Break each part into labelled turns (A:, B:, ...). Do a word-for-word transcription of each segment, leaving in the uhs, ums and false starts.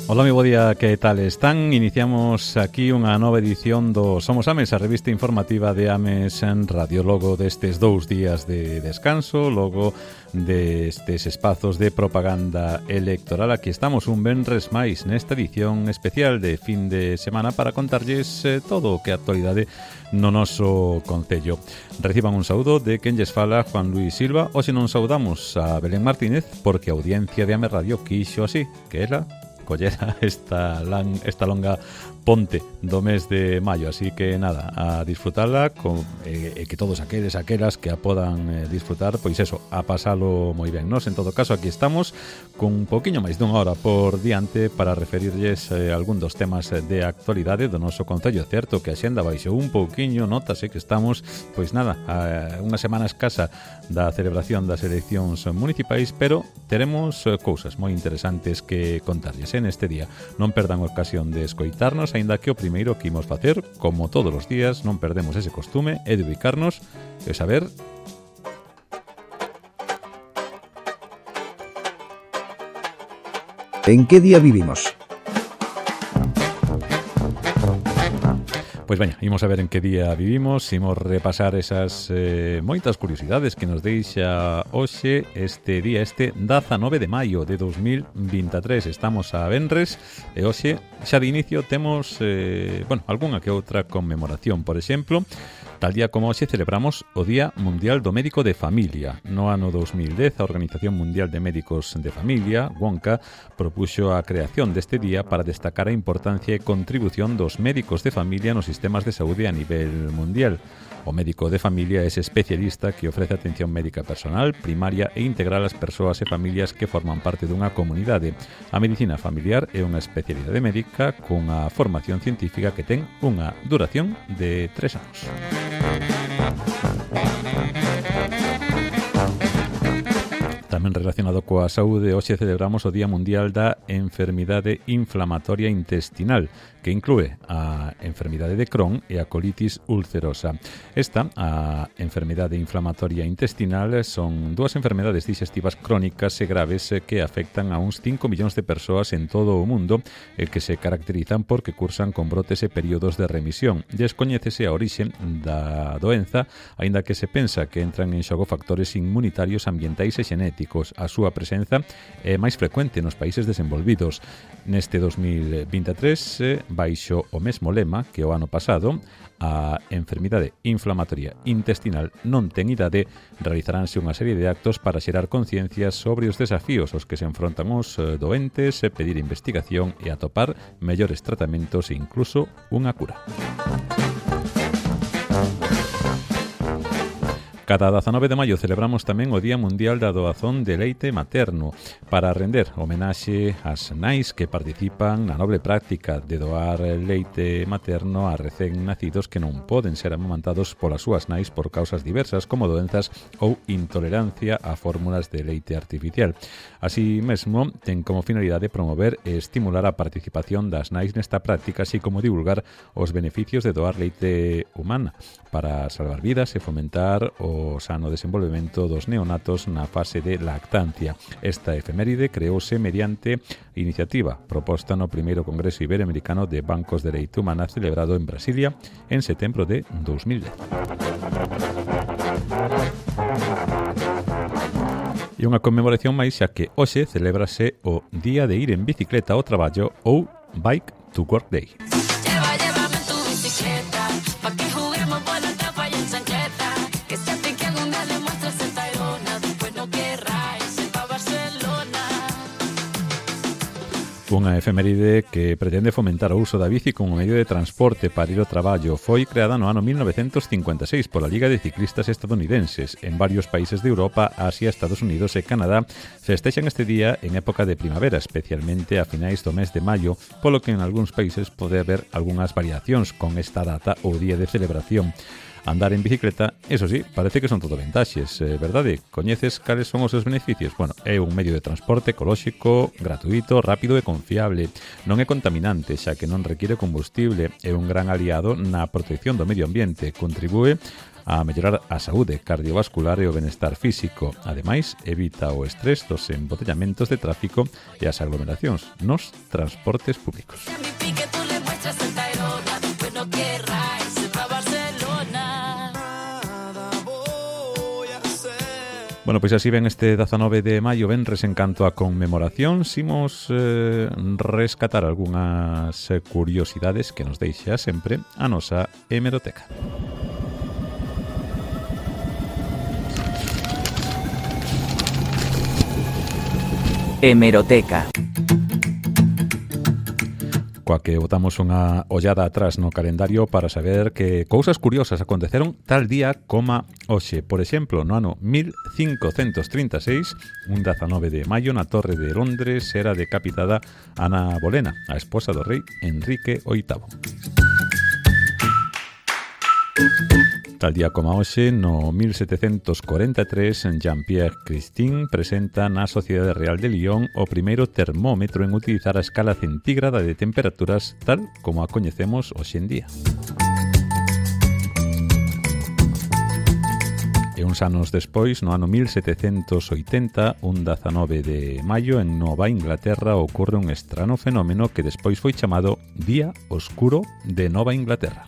A: Ola, mi bo día, que tal están? Iniciamos aquí unha nova edición do Somos Ames, a revista informativa de Ames en Radio, logo destes dous días de descanso, logo destes espazos de propaganda electoral. Aquí estamos un venres máis nesta edición especial de fin de semana para contarlles eh, todo o que a actualidade no noso concello. Reciban un saúdo de quen lles fala, Juan Luis Silva. Hoxe non saudamos a Belén Martínez porque a audiencia de Ames Radio quixo así, que ela collera esta, lan, esta longa ponte do mes de maio, así que nada, a disfrutarla con, e, e que todos aqueles, aquelas que a podan eh, disfrutar, pois eso, a pasalo moi ben. Nos, en todo caso, aquí estamos con un poquinho máis dunha hora por diante para referirlles eh, algún dos temas de actualidade do noso concello. Certo que a xenda baixou un pouquiño, notase que estamos, pois nada, a unha semana escasa da celebración das eleccións municipais, pero teremos eh, cousas moi interesantes que contarlles en este día. Non perdan a ocasión de escoitarnos, aínda que o primeiro que imos facer, como todos os días, non perdemos ese costume, é de ubicarnos e saber
B: en que día vivimos.
A: Pois veña, imos a ver en que día vivimos, imos repasar esas eh, moitas curiosidades que nos deixa hoxe este día, este dezanove de maio de dos mil veintitrés. Estamos a venres e hoxe xa de inicio temos, eh, bueno, algunha que outra conmemoración. Por exemplo, tal día como hoxe celebramos o Día Mundial do Médico de Familia. No ano dos mil dez, a Organización Mundial de Médicos de Familia, WONCA, propuxo a creación deste día para destacar a importancia e contribución dos médicos de familia nos sistemas de saúde a nivel mundial. O médico de familia é ese especialista que ofrece atención médica personal, primaria e integral ás persoas e familias que forman parte dunha comunidade. A medicina familiar é unha especialidade médica cunha formación científica que ten unha duración de tres anos. Tamén relacionado coa saúde, hoxe celebramos o Día Mundial da Enfermidade Inflamatoria Intestinal, que inclúe a enfermidade de Crohn e a colitis ulcerosa. Esta, a enfermidade inflamatoria intestinal, son dúas enfermedades digestivas crónicas e graves que afectan a uns cinco millóns de persoas en todo o mundo e que se caracterizan porque cursan con brotes e períodos de remisión. Descoñécese a orixe da doenza, aínda que se pensa que entran en xogo factores inmunitarios, ambientais e xenéticos. A súa presenza é máis frecuente nos países desenvolvidos. Neste dos mil veintitrés, baixo o mesmo lema que o ano pasado, a enfermidade inflamatoria intestinal non ten idade, realizaránse unha serie de actos para xerar conciencia sobre os desafíos aos que se enfrontan os doentes, pedir investigación e atopar mellores tratamentos e incluso unha cura. Cada dezanove de maio celebramos tamén o Día Mundial da Doazón de Leite Materno para render homenaxe ás nais que participan na nobre práctica de doar leite materno a recén nacidos que non poden ser amamantados polas súas nais por causas diversas como doenzas ou intolerancia a fórmulas de leite artificial. Así mesmo, ten como finalidade promover e estimular a participación das nais nesta práctica, así como divulgar os beneficios de doar leite humana para salvar vidas e fomentar o o sano desenvolvemento dos neonatos na fase de lactancia. Esta efeméride creouse mediante iniciativa proposta no primeiro Congreso Iberoamericano de Bancos de Leite Humana celebrado en Brasilia en setembro de dos mil dez. E unha conmemoración máis xa que hoxe celébrase o Día de ir en bicicleta ao traballo ou Bike to Work Day. Unha efeméride que pretende fomentar o uso da bici como medio de transporte para ir ao traballo. Foi creada no ano mil novecentos cincuenta e seis pola Liga de Ciclistas Estadounidenses. En varios países de Europa, Asia, Estados Unidos e Canadá festexan este día en época de primavera, especialmente a finais do mes de maio, polo que en algúns países pode haber algunhas variacións con esta data ou día de celebración. andar en bicicleta, eso sí, parece que son todo ventaxes, eh, verdade? Coñeces cales son os seus beneficios? Bueno, é un medio de transporte ecolóxico, gratuito, rápido e confiable. Non é contaminante, xa que non requiere combustible. É un gran aliado na protección do medio ambiente. Contribúe a mellorar a saúde cardiovascular e o benestar físico. Ademais, evita o estrés dos embotellamentos de tráfico e as aglomeracións nos transportes públicos. Bueno, pois así ven este dezanove de maio, venres en canto a conmemoración. Simos eh, rescatar algunhas eh, curiosidades que nos deixa sempre a nosa hemeroteca.
B: Hemeroteca.
A: Coa que botamos unha ollada atrás no calendario para saber que cousas curiosas aconteceron tal día coma hoxe. Por exemplo, no ano mil cincocentos trinta e seis, un dezanove de maio, na Torre de Londres era decapitada Ana Bolena, a esposa do rei Enrique oitavo. Tal día como hoxe, no mil setecentos corenta e tres, Jean-Pierre Christin presenta na Sociedade Real de Lyon o primeiro termómetro en utilizar a escala centígrada de temperaturas tal como a coñecemos hoxe en día. E uns anos despois, no ano mil setecentos oitenta, un dezanove de maio, en Nova Inglaterra ocorre un estrano fenómeno que despois foi chamado Día Oscuro de Nova Inglaterra.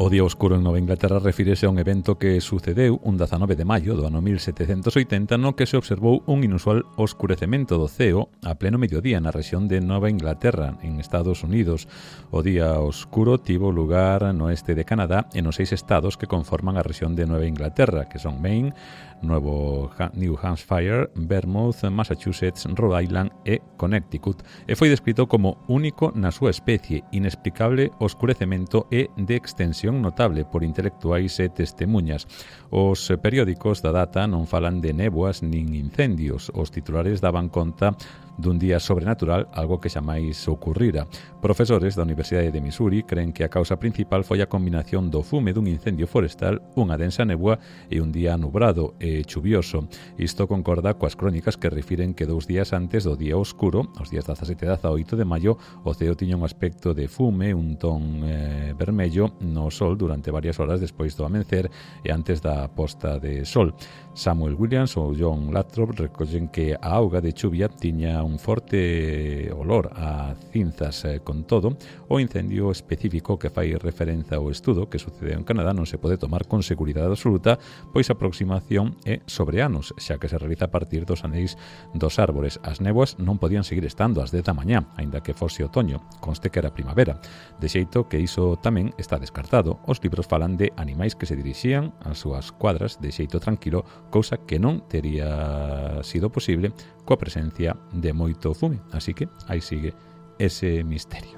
A: O Día Oscuro en Nova Inglaterra refírese a un evento que sucedeu un dezanove de maio do ano mil setecentos oitenta no que se observou un inusual oscurecemento do ceo a pleno mediodía na rexión de Nova Inglaterra, en Estados Unidos. O Día Oscuro tivo lugar no oeste de Canadá e nos seis estados que conforman a rexión de Nova Inglaterra, que son Maine, Nuevo New Hampshire, Vermouth, Massachusetts, Rhode Island e Connecticut, e foi descrito como único na súa especie, inexplicable oscurecemento e de extensión notable por intelectuais e testemunhas. Os periódicos da data non falan de néboas nin incendios. Os titulares daban conta dun día sobrenatural, algo que xa máis ocurrira. Profesores da Universidade de Missouri creen que a causa principal foi a combinación do fume dun incendio forestal, unha densa néboa e un día nubrado e chuvioso. Isto concorda coas crónicas que refiren que dous días antes do día oscuro, os días dezasete e dezaoito de maio, o ceo tiña un aspecto de fume, un ton eh, vermello no sol durante varias horas despois do amencer e antes da posta de sol. Samuel Williams ou John Lathrop recollen que a auga de chuvia tiña un forte olor a cinzas. Con todo, o incendio específico que fai referencia ao estudo que sucedeu en Canadá non se pode tomar con seguridade absoluta, pois a aproximación é sobre anos, xa que se realiza a partir dos anéis dos árbores. As néboas non podían seguir estando ás dez da mañá, aínda que fose otoño, conste que era primavera, de xeito que iso tamén está descartado. Os libros falan de animais que se dirixían ás súas cuadras de xeito tranquilo, cousa que non tería sido posible coa presencia de moito fume, así que aí sigue ese misterio.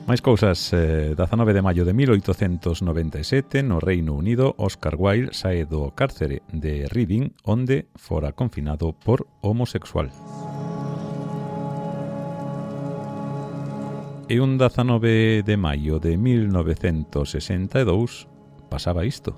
A: Máis cousas, eh, dezanove de maio de mil oitocentos noventa e sete, no Reino Unido, Oscar Wilde sae do cárcere de Reading, onde fora confinado por homosexual. E un dezanove de maio de mil novecentos sesenta e dous pasaba isto.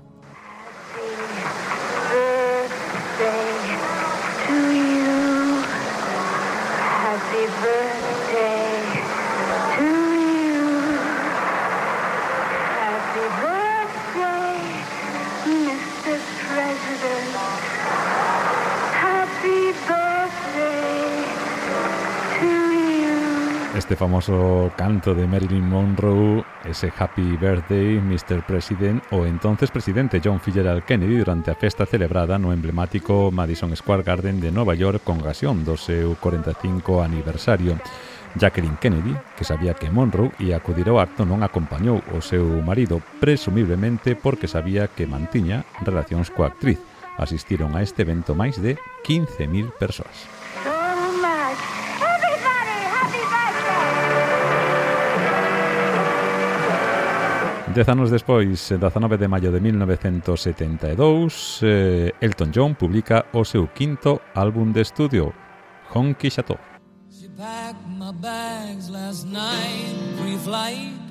A: Este famoso canto de Marilyn Monroe, ese Happy Birthday, mister President, o entonces presidente John Fitzgerald Kennedy durante a festa celebrada no emblemático Madison Square Garden de Nova York con ocasión do seu cuarenta e cinco aniversario. Jacqueline Kennedy, que sabía que Monroe ia acudir ao acto, non acompañou o seu marido, presumiblemente porque sabía que mantiña relacións coa actriz. Asistiron a este evento máis de quince mil persoas. Dez anos despois, dezanove de maio de mil novecentos setenta e dous, eh, Elton John publica o seu quinto álbum de estudio, Honky Chateau.
B: She packed my bags last night, pre-flight.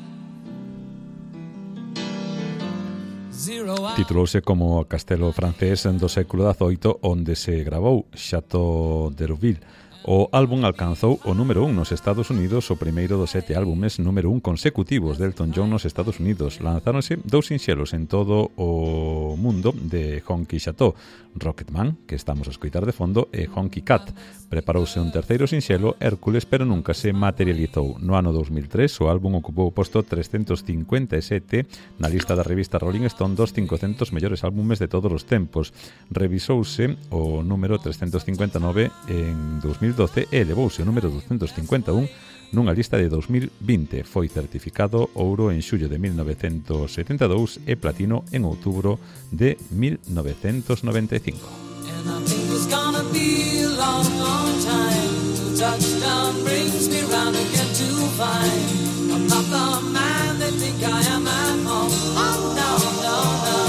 A: Titulouse como o castelo francés do século dezoito onde se gravou Chateau d'Herouville. O álbum alcanzou o número un nos Estados Unidos, o primeiro dos sete álbumes número un consecutivos de Elton John nos Estados Unidos. Lanzáronse dous sinxelos en todo o mundo de Honky Chateau, Rocketman, que estamos a escoitar de fondo, e Honky Cat. Preparouse un terceiro sinxelo, Hércules, pero nunca se materializou. No ano dos mil tres, o álbum ocupou o posto trescentos cincuenta e sete na lista da revista Rolling Stone dos cincocentos mellores álbumes de todos os tempos. Revisouse o número trescentos cincuenta e nove en dos mil doce e elevouse o número douscentos cincuenta e un nunha lista de dos mil vinte. Foi certificado ouro en xullo de mil novecentos setenta e dous e platino en outubro de mil novecentos noventa e cinco.
B: And I think it's gonna be a long, long time till touchdown brings me round again to find I'm not the man they think I am at home. Oh no, no, no,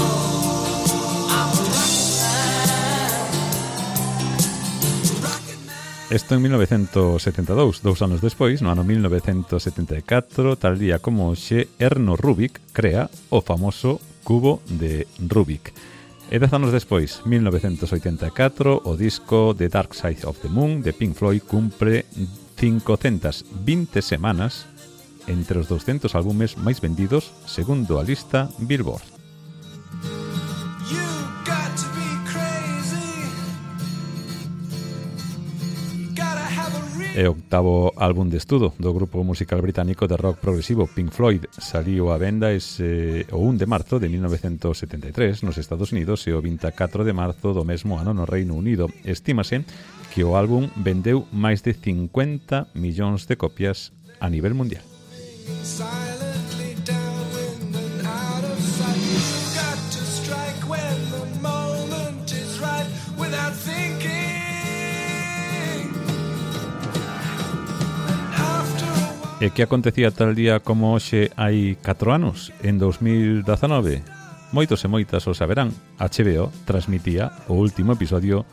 B: I'm a rocket man.
A: Isto en mil novecentos setenta e dous, dous anos despois, no ano mil novecentos setenta e catro, tal día como hoxe, Erno Rubik crea o famoso cubo de Rubik. E dez anos despois, mil novecentos oitenta e catro, o disco The Dark Side of the Moon de Pink Floyd cumpre cincocentas vinte semanas entre os douscentos álbumes máis vendidos segundo a lista Billboard. E o octavo álbum de estudo do grupo musical británico de rock progresivo Pink Floyd saliu á venda ese, o un de marzo de mil novecentos setenta e tres nos Estados Unidos e o vinte e catro de marzo do mesmo ano no Reino Unido. Estímase que o álbum vendeu máis de cincuenta millóns de copias a nivel mundial. E que acontecía tal día como hoxe hai catro anos, en dos mil dezanove? Moitos e moitas o saberán, H B O transmitía o último episodio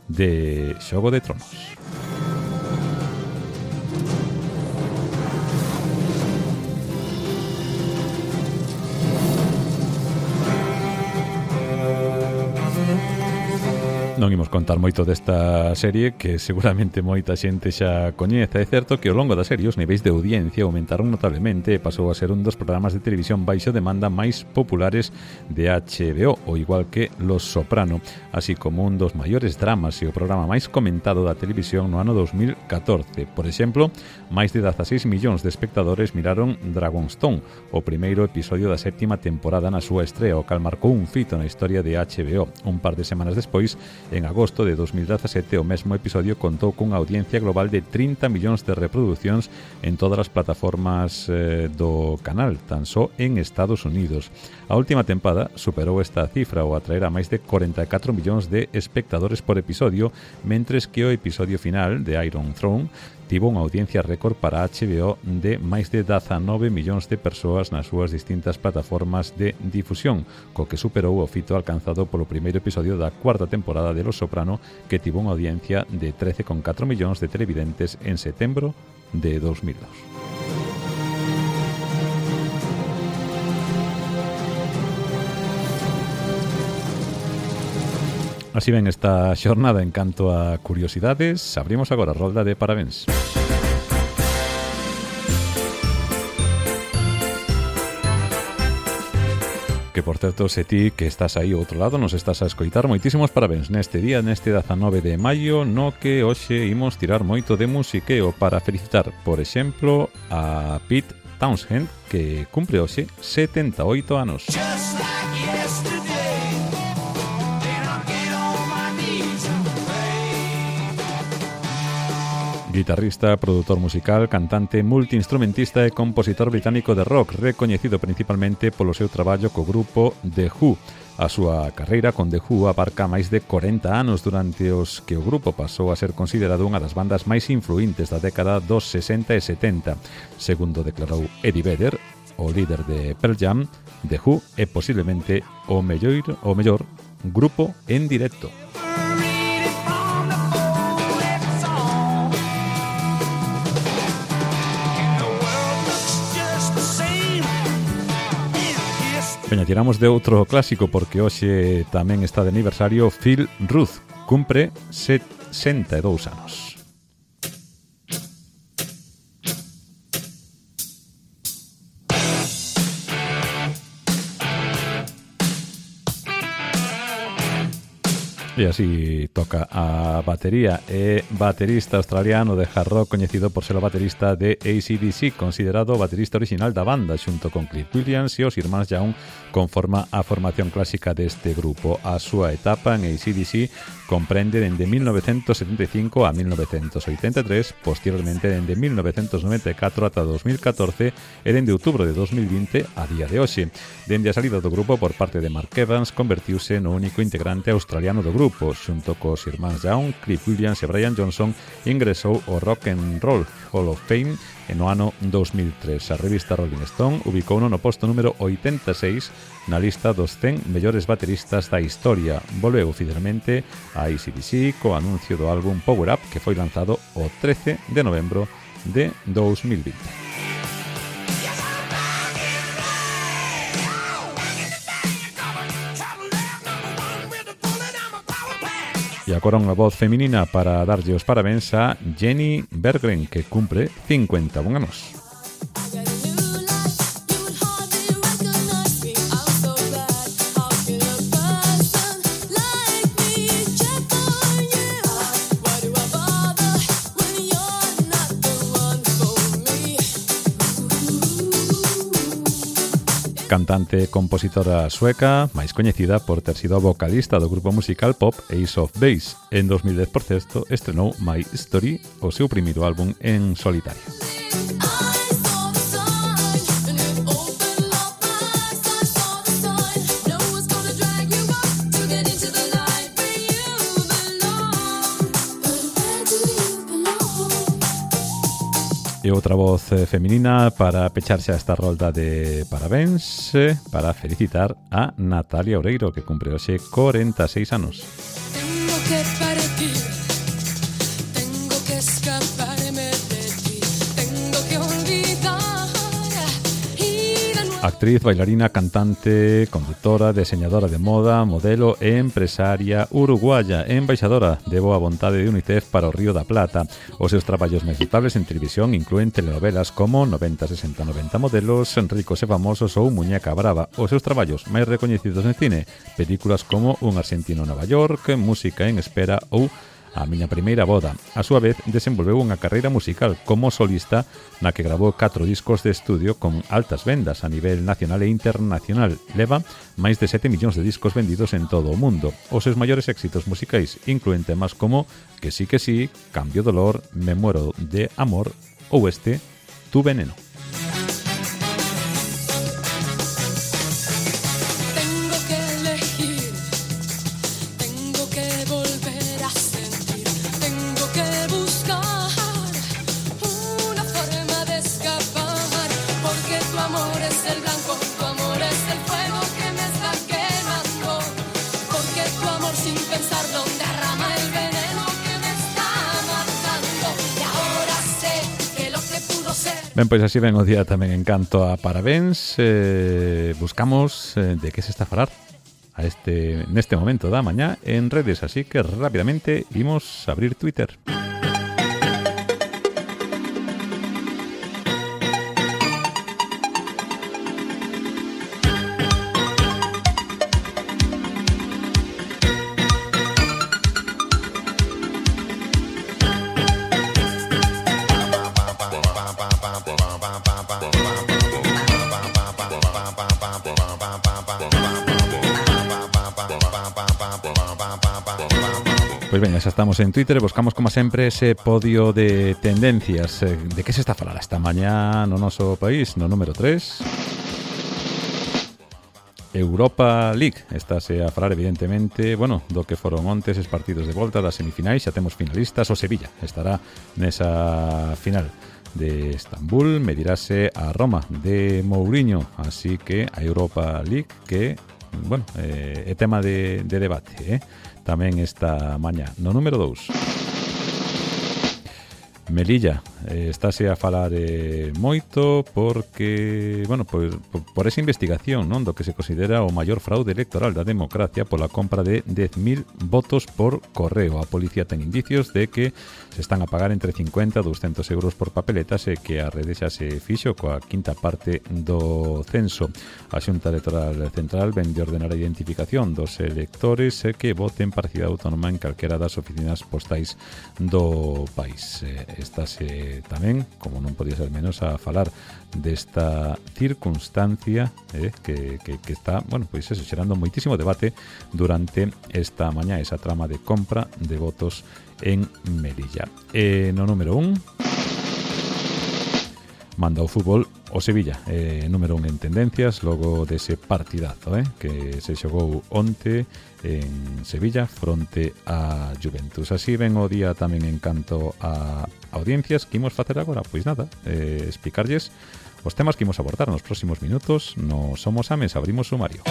A: de Xogo de Tronos. Non imos contar moito desta serie que seguramente moita xente xa coñeza. É certo que ao longo da serie os niveis de audiencia aumentaron notablemente e pasou a ser un dos programas de televisión baixo demanda máis populares de H B O, o igual que Los Soprano, así como un dos maiores dramas e o programa máis comentado da televisión no ano dos mil catorce. Por exemplo, máis de dezaseis millóns de espectadores miraron Dragonstone, o primeiro episodio da sétima temporada na súa estrea, o cal marcou un fito na historia de H B O. Un par de semanas despois, en agosto de dos mil dezasete, o mesmo episodio contou cunha audiencia global de trinta millóns de reproduccións en todas as plataformas eh, do canal, tan só en Estados Unidos. A última tempada superou esta cifra ao atraer a máis de corenta e catro millóns de espectadores por episodio, mentres que o episodio final de Iron Throne tivo unha audiencia récord para H B O de máis de dezanove millóns de persoas nas súas distintas plataformas de difusión, co que superou o fito alcanzado polo primeiro episodio da cuarta temporada de Los Soprano, que tivo unha audiencia de trece coma catro millóns de televidentes en setembro de dos mil dos. Así ven esta xornada en canto a curiosidades. Abrimos agora a rolda de parabéns. Que, por certo, se ti que estás aí ao outro lado nos estás a escoitar, moitísimos parabéns neste día, neste dezanove de maio, no que hoxe imos tirar moito de musiqueo para felicitar, por exemplo, a Pete Townshend, que cumpre hoxe setenta e oito anos. Guitarrista, produtor musical, cantante, multiinstrumentista e compositor británico de rock, recoñecido principalmente polo seu traballo co grupo The Who. A súa carreira con The Who abarca máis de corenta anos, durante os que o grupo pasou a ser considerado unha das bandas máis influíntes da década dos sesenta e setenta. Segundo declarou Eddie Vedder, o líder de Pearl Jam, The Who é posiblemente o mellor, o mellor grupo en directo. Veña, tiramos de outro clásico porque hoxe tamén está de aniversario. Phil Rudd cumpre sesenta e dous anos. E así toca a batería. É baterista australiano de hard rock coñecido por ser o baterista de A C D C, considerado o baterista original da banda xunto con Cliff Williams e os irmáns Young conforma a formación clásica deste grupo. A súa etapa en A C D C comprende dende mil novecentos setenta e cinco a mil novecentos oitenta e tres, posteriormente dende mil novecentos noventa e catro ata dos mil catorce e dende outubro de dos mil vinte a día de hoxe. Dende a salida do grupo por parte de Mark Evans convertiuse no único integrante australiano do grupo. Xunto cos irmáns Young, Cliff Williams e Brian Johnson ingresou ao Rock and Roll Hall of Fame no ano dos mil tres. A revista Rolling Stone ubicouno no posto número oitenta e seis na lista dos cen mellores bateristas da historia. Volveu oficialmente a A C D C co anuncio do álbum Power Up, que foi lanzado o trece de novembro de dos mil vinte. E agora unha voz feminina para darlle os parabéns a Jenny Berggren, que cumpre cincuenta e un anos. Cantante e compositora sueca, máis coñecida por ter sido a vocalista do grupo musical pop Ace of Base. En dos mil dez, por certo, estrenou My Story, o seu primeiro álbum en solitario. E outra voz eh, feminina para pecharse a esta rolda de parabéns, eh, para felicitar a Natalia Oreiro, que cumpre hoxe corenta e seis anos.
C: Tengo que partir, tengo que escaparme de ti, tengo que olvidar y de nuevo...
A: Actriz, bailarina, cantante, conductora, diseñadora de moda, modelo e empresaria uruguaya, embaixadora de boa vontade de UNICEF para o Río da Plata. Os seus traballos máis notables en televisión inclúen telenovelas como noventa sesenta noventa Modelos, Ricos e Famosos ou Muñeca Brava. Os seus traballos máis recoñecidos en cine, películas como Un argentino en Nova York, Música en espera ou A miña primeira boda. A súa vez, desenvolveu unha carreira musical como solista na que gravou catro discos de estudio con altas vendas a nivel nacional e internacional. Leva máis de sete millóns de discos vendidos en todo o mundo. Os seus maiores éxitos musicais inclúen temas como Que sí que sí, Cambio dolor, Me muero de amor ou este Tu veneno. Ben, pois así ven o día tamén en canto a parabéns. eh, Buscamos eh, de que se está a falar a este, neste momento da mañá en redes, así que rápidamente imos abrir Twitter. Pois ben, xa estamos en Twitter e buscamos como sempre ese podio de tendencias. De que se está a falar esta mañá no noso país? No número tres, Europa League. Estáse a falar evidentemente, bueno, do que foron ontes os partidos de volta das semifinais. Xa temos finalistas, o Sevilla estará nesa final de Estambul medirase a Roma de Mourinho, así que a Europa League que, bueno, eh, é tema de, de debate, eh? Tamén esta mañá. No número dous, Melilla, eh, estáse a falar eh, moito porque, bueno, por, por, por esa investigación, non, do que se considera o maior fraude electoral da democracia pola compra de dez mil votos por correo. A policía ten indicios de que se están a pagar entre cincuenta e douscentos euros por papeletas e que a rede xa se fixo coa quinta parte do censo. A Xunta Electoral Central ven de ordenar a identificación dos electores e que voten para a cidade autónoma en calquera das oficinas postais do país. Eh, Estase tamén, como non podía ser menos, a falar desta circunstancia eh, que, que, que está, bueno, pois eso, xerando moitísimo debate durante esta mañá, esa trama de compra de votos en Melilla. E no número un, manda o fútbol o Sevilla, eh, número un en tendencias logo dese partidazo eh, que se xogou onte en Sevilla fronte a Juventus. Así ven o día tamén en canto a audiencias. Que imos facer agora? Pois nada, eh, explicarlles os temas que imos abordar nos próximos minutos. No Somos Ames, abrimos sumario.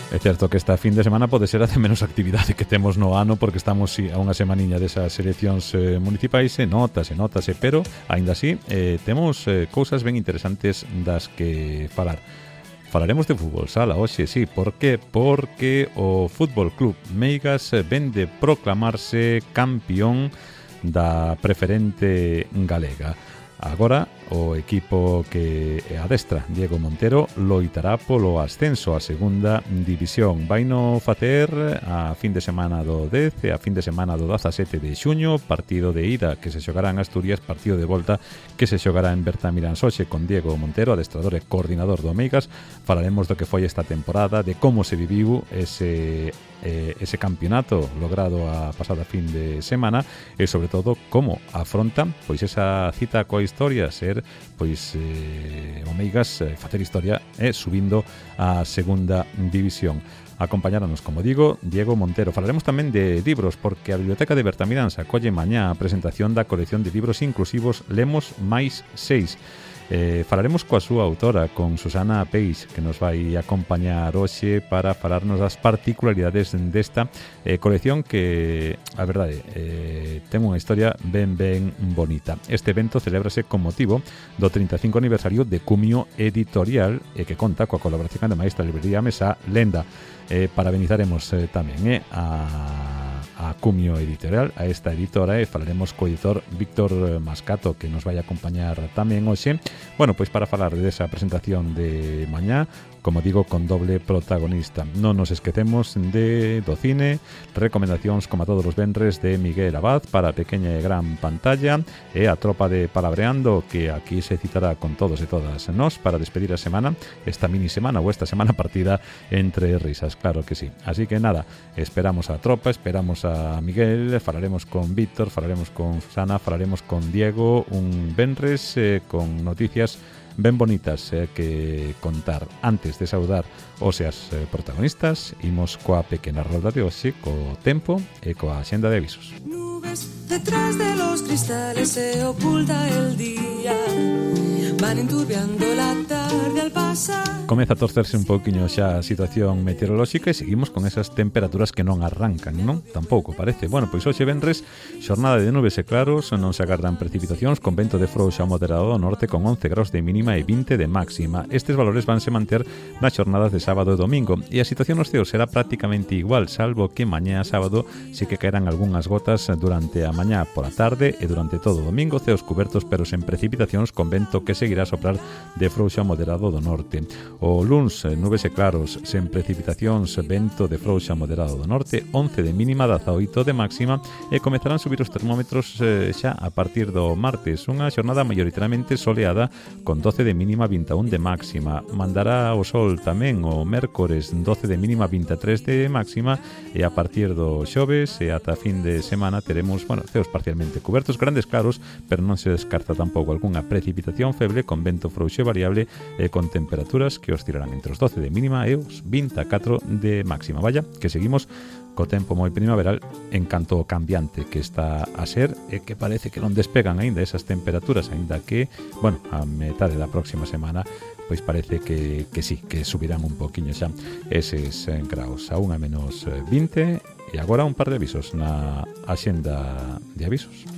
A: É certo que esta fin de semana pode ser a de menos actividade que temos no ano porque estamos a unha semaniña desas eleccións eh, municipais e notase, notase, pero, aínda así, eh, temos eh, cousas ben interesantes das que falar. Falaremos de fútbol sala hoxe, sí, por que? Porque o Fútbol Club Meigas ven de proclamarse campeón da preferente galega. Agora, o equipo que adestra Diego Montero loitará polo ascenso a segunda división. Vaino facer a fin de semana do dez e a fin de semana do dezasete de xuño, partido de ida que se xogará en Asturias, partido de volta que se xogará en Bertamiráns. Hoxe con Diego Montero, adestrador e coordinador do Meigas, falaremos do que foi esta temporada, de como se viviu ese eh, ese campeonato logrado a pasada fin de semana e sobre todo como afronta pois esa cita coa historia, ser pois eh, o Meigas eh, facer historia e eh, subindo a segunda división. Acompañáranos, como digo, Diego Montero. Falaremos tamén de libros, porque a Biblioteca de Bertamiráns acolle mañá a presentación da colección de libros inclusivos Lemos máis seis. Eh, falaremos coa súa autora, con Susana Peix, que nos vai acompañar hoxe para falarnos das particularidades desta eh, colección que, a verdade, eh, ten unha historia ben ben bonita. Este evento celébrase con motivo do treinta e cinco aniversario de Cumio Editorial e que conta coa colaboración ademais da librería Mesa Lenda. Eh, parabenizaremos eh, tamén eh, a a Cumio Editorial, a esta editora, e falaremos co editor Víctor Mascato, que nos vai acompañar tamén hoxe. Bueno, pois para falar desa presentación de mañá, como digo, con doble protagonista. Non nos esquecemos de do cine, recomendacións como a todos os venres de Miguel Abad para a pequeña e gran pantalla, e a tropa de Palabreando, que aquí se citará con todos e todas nós para despedir a semana, esta mini semana ou esta semana partida entre risas, claro que sí. Así que nada, esperamos a tropa, esperamos a Miguel, falaremos con Víctor, falaremos con Susana, falaremos con Diego, un venres eh, con noticias ben bonitas eh, que contar. Antes de saudar os seas eh, protagonistas, imos coa pequena rolda de hoxe, co tempo e coa xenda de avisos.
C: Nubes detrás de los cristales se oculta el día, van enturbiando la tarde al pasar.
A: Comeza a torcerse un pouquiño xa a situación meteorolóxica e seguimos con esas temperaturas que non arrancan, non? Tampouco parece. Bueno, pois hoxe venres, xornada de nubes e claros, non se agardan precipitacións, con vento de frouxa moderado ao norte con once graus de mínima e vinte de máxima. Estes valores vanse manter nas xornadas de sábado e domingo e a situación nos ceos será prácticamente igual, salvo que mañá sábado sí que caerán algunhas gotas durante a mañá pola tarde e durante todo o domingo, ceos cubertos pero sen precipitacións, con vento que seguirá a soprar de frouxa moderado do norte. O luns, nubes e claros, sen precipitacións, vento de frouxa moderado do norte, once de mínima, dezaoito de máxima, e comezarán a subir os termómetros eh, xa a partir do martes. Unha xornada maioritariamente soleada, con doce de mínima, vinte e un de máxima. Mandará o sol tamén o mércores, doce de mínima, vinte e tres de máxima, e a partir do xoves e ata fin de semana teremos, bueno, ceos parcialmente cubertos, grandes claros, pero non se descarta tampouco algunha precipitación feble, con vento frouxo variable e con temperaturas temperaturas que oscilarán entre os doce de mínima e os vinte e catro de máxima. Vaya, que seguimos co tempo moi primaveral en canto cambiante que está a ser e que parece que non despegan aínda esas temperaturas, aínda que, bueno, a metade da próxima semana pois parece que, que sí, que subirán un poquinho xa eses graus a unha menos vinte. E agora un par de avisos na axenda de avisos.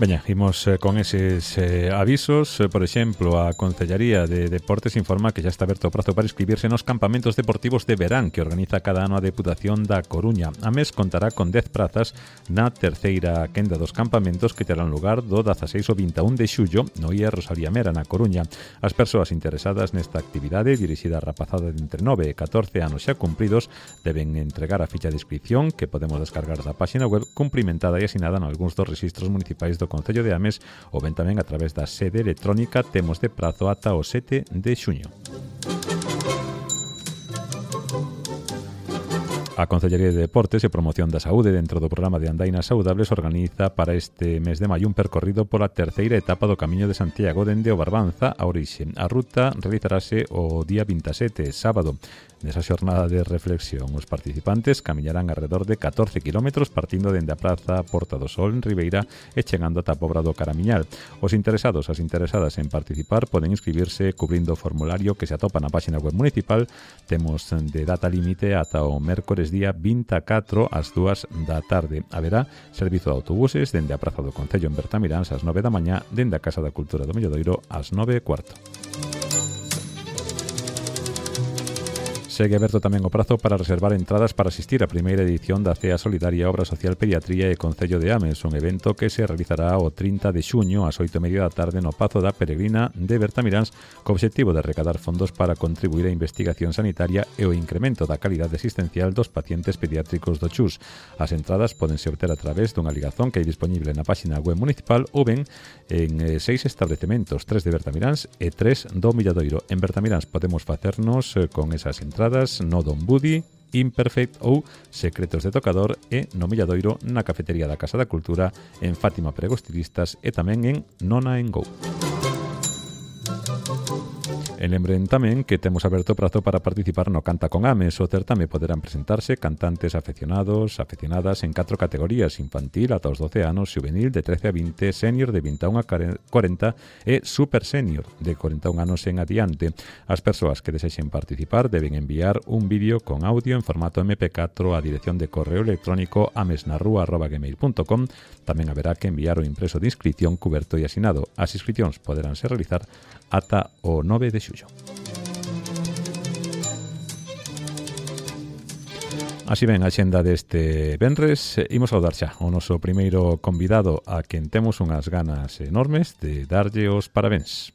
A: Veña, imos eh, con eses eh, avisos. Eh, por exemplo, a Concellaría de Deportes informa que xa está aberto o prazo para inscribirse nos campamentos deportivos de verán que organiza cada ano a Deputación da Coruña. A mes contará con dez prazas na terceira quenda dos campamentos que terán lugar do dezaseis ao vinte e un de xullo no I E Rosalía Mera, na Coruña. As persoas interesadas nesta actividade, dirixida a rapazada de entre nove e catorce anos xa cumpridos, deben entregar a ficha de inscripción que podemos descargar da páxina web, cumprimentada e asinada nalgúns dos rexistros municipais do Concello de Ames, ou ben tamén a través da sede electrónica. Temos de prazo ata o sete de xuño. A Concellería de Deportes e Promoción da Saúde dentro do programa de Andainas Saudables organiza para este mes de maio un percorrido pola terceira etapa do Camiño de Santiago dende o Barbanza a Orixe. A ruta realizarase o día vinte e sete, sábado. Nesa xornada de reflexión, os participantes camiñarán alrededor de catorce kilómetros partindo dende a Praza Porta do Sol en Ribeira e chegando ata a Pobra do Caramiñal. Os interesados, as interesadas en participar poden inscribirse cubrindo o formulario que se atopa na páxina web municipal. Temos de data límite ata o mércores día vinte e catro ás dúas da tarde. Haberá servizo de autobuses dende a Praza do Concello en Bertamiráns ás nove da mañá, dende a Casa da Cultura do Milladoiro ás nove e cuarto. Segue aberto tamén o prazo para reservar entradas para asistir á primeira edición da C E A Solidaria Obra Social Pediatría e Concello de Ames, un evento que se realizará o trinta de xuño ás oito e media da tarde no Pazo da Peregrina de Bertamiráns, co obxectivo de recadar fondos para contribuir á investigación sanitaria e o incremento da calidade asistencial dos pacientes pediátricos do Chus. As entradas pódense obter a través dunha ligazón que hai disponible na páxina web municipal ou ben en eh, seis establecementos, tres de Bertamiráns e tres do Milladoiro. En Bertamiráns podemos facernos eh, con esas entradas no Don Budi, Imperfect ou Secretos de Tocador, e no Milladoiro na cafetería da Casa da Cultura, en Fátima Pregostilistas e tamén en Nona en Go. E lembren tamén que temos aberto prazo para participar no Canta con Ames. O certame poderán presentarse cantantes afeccionados, afeccionadas en catro categorías: infantil ata os doce anos, juvenil de trece a vinte, senior de vinte e un a cuarenta e super senior de cuarenta e un anos en adiante. As persoas que desexen participar deben enviar un vídeo con audio en formato eme pe catro á dirección de correo electrónico amesnarrúa arroba gmail punto com. Tamén haberá que enviar o impreso de inscripción cuberto e asinado. As inscripcións poderánse realizar ata o nove de xullo. Así ben, a xenda deste venres, imos saudar xa o noso primeiro convidado, a quen temos unhas ganas enormes de darlle os parabéns.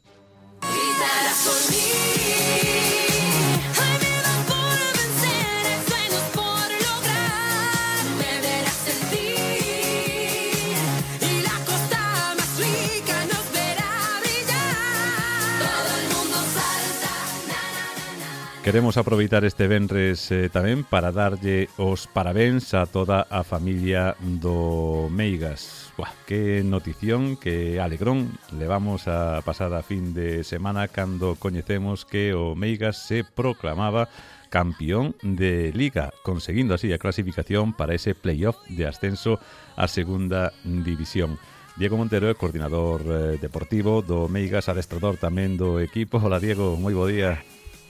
A: Queremos aproveitar este venres eh, tamén para darlle os parabéns a toda a familia do Meigas. Buah, que notición, que alegrón levamos a pasada fin de semana cando coñecemos que o Meigas se proclamaba campeón de Liga, conseguindo así a clasificación para ese playoff de ascenso a segunda división. Diego Montero é coordinador eh, deportivo do Meigas, adestrador tamén do equipo. Hola Diego, moi bo día.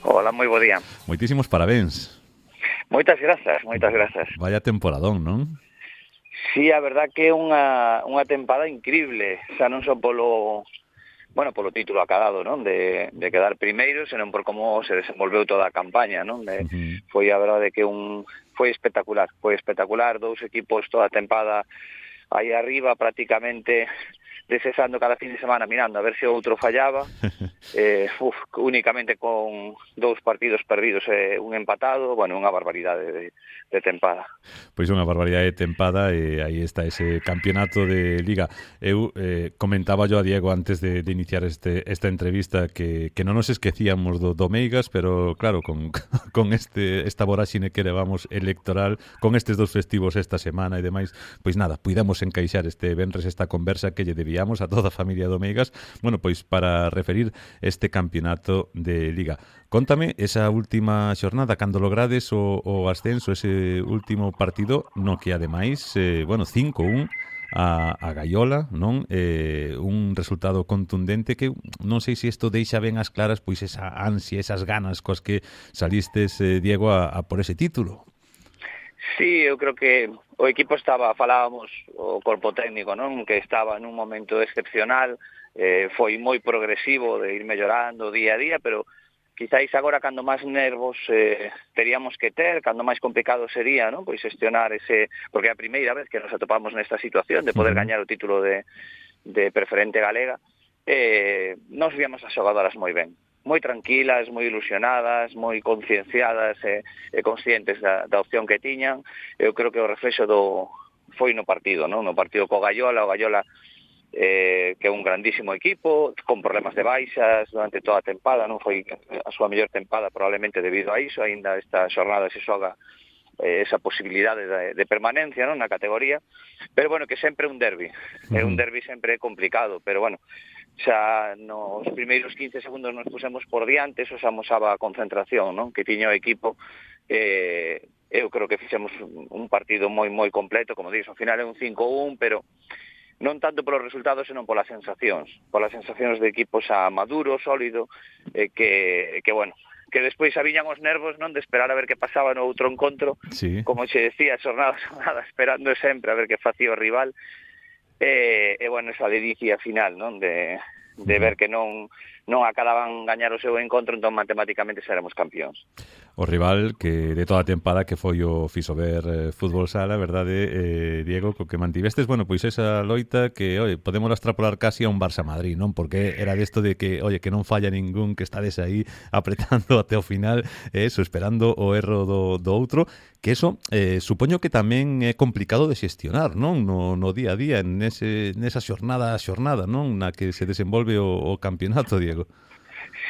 D: Hola, moi bo día.
A: Moitísimos parabéns.
D: Moitas grazas, moitas grazas.
A: Vaya temporadón, non?
D: Sí, a verdad que é unha, unha tempada increíble, xa non só polo, bueno, polo título acabado, non? De, de quedar primeiro, senón por como se desenvolveu toda a campaña, non? De, uh-huh. Foi a verdade que un foi espectacular, foi espectacular, dous equipos toda a tempada aí arriba prácticamente desesando cada fin de semana mirando a ver se o outro fallaba. eh, uf, únicamente con dous partidos perdidos e un empatado, bueno, unha barbaridade de, de tempada.
A: Pois unha barbaridade de tempada e aí está ese campeonato de Liga. Eu eh, comentaba yo a Diego antes de, de iniciar este, esta entrevista que, que non nos esquecíamos do, do Meigas, pero claro, con, con este esta voráxine que levamos electoral, con estes dos festivos esta semana e demais, pois nada, puidamos encaixar este venres esta conversa que lle debíamos a toda a familia do Meigas, bueno, pois para referir este campeonato de Liga. Contame esa última xornada, cando logrades o, o ascenso, ese último partido, no que ademais, eh, bueno, cinco un a, a Gaiola, non? Eh, un resultado contundente que non sei se isto deixa ben as claras pois esa ansia, esas ganas coas que salistes, eh, Diego, a, a por ese título.
D: Sí, eu creo que o equipo estaba, falábamos, o corpo técnico, non? Que estaba nun momento excepcional, eh, foi moi progresivo de ir mellorando día a día, pero quizáis agora cando máis nervos eh, teríamos que ter, cando máis complicado sería, non? Pois gestionar ese, porque é a primeira vez que nos atopamos nesta situación de poder gañar o título de, de preferente galega, eh, nos víamos as xogadoras moi ben, moi tranquilas, moi ilusionadas, moi concienciadas e, e conscientes da, da opción que tiñan. Eu creo que o reflexo do foi no partido, non? No partido co Gaiola, o Gaiola eh, que é un grandísimo equipo, con problemas de baixas durante toda a tempada, non foi a súa mellor tempada probablemente debido a iso, aínda esta xornada se xoga eh, esa posibilidade de, de permanencia, non, na categoría, pero bueno, que sempre é un derbi, é un derbi sempre complicado, pero bueno, xa nos primeiros quince segundos nos pusemos por diante, eso xa amosaba a concentración, non, que tiña o equipo. eh, eu creo que fixemos un partido moi moi completo, como dixo, ao final é un cinco un, pero non tanto polos resultados, senón polas sensacións, polas sensacións de equipo xa maduro, sólido, eh, que, que, bueno, que despois aviñan os nervos, non, de esperar a ver que pasaba no outro encontro,
A: sí. Como
D: xe decía, xornada, xornada, esperando sempre a ver que facía o rival, e, e bueno, esa dedicia final, non, de, de ver que non non acababan gañar o seu encontro, entón matemáticamente seremos campións.
A: O rival que de toda a tempada que foi o Fisober eh, Fútbol Sala, verdade, eh, Diego, co que mantivestes, bueno, pois esa loita que, oi, podemos extrapolar casi a un Barça-Madrid, non? Porque era desto de que, oye, que non falla ningún, que estades aí apretando até o final, eh, eso, esperando o erro do, do outro, que eso, eh, supoño que tamén é complicado de xestionar, non? No, no día a día, nese, nesa xornada a xornada, non? Na que se desenvolve o, o campeonato, Diego.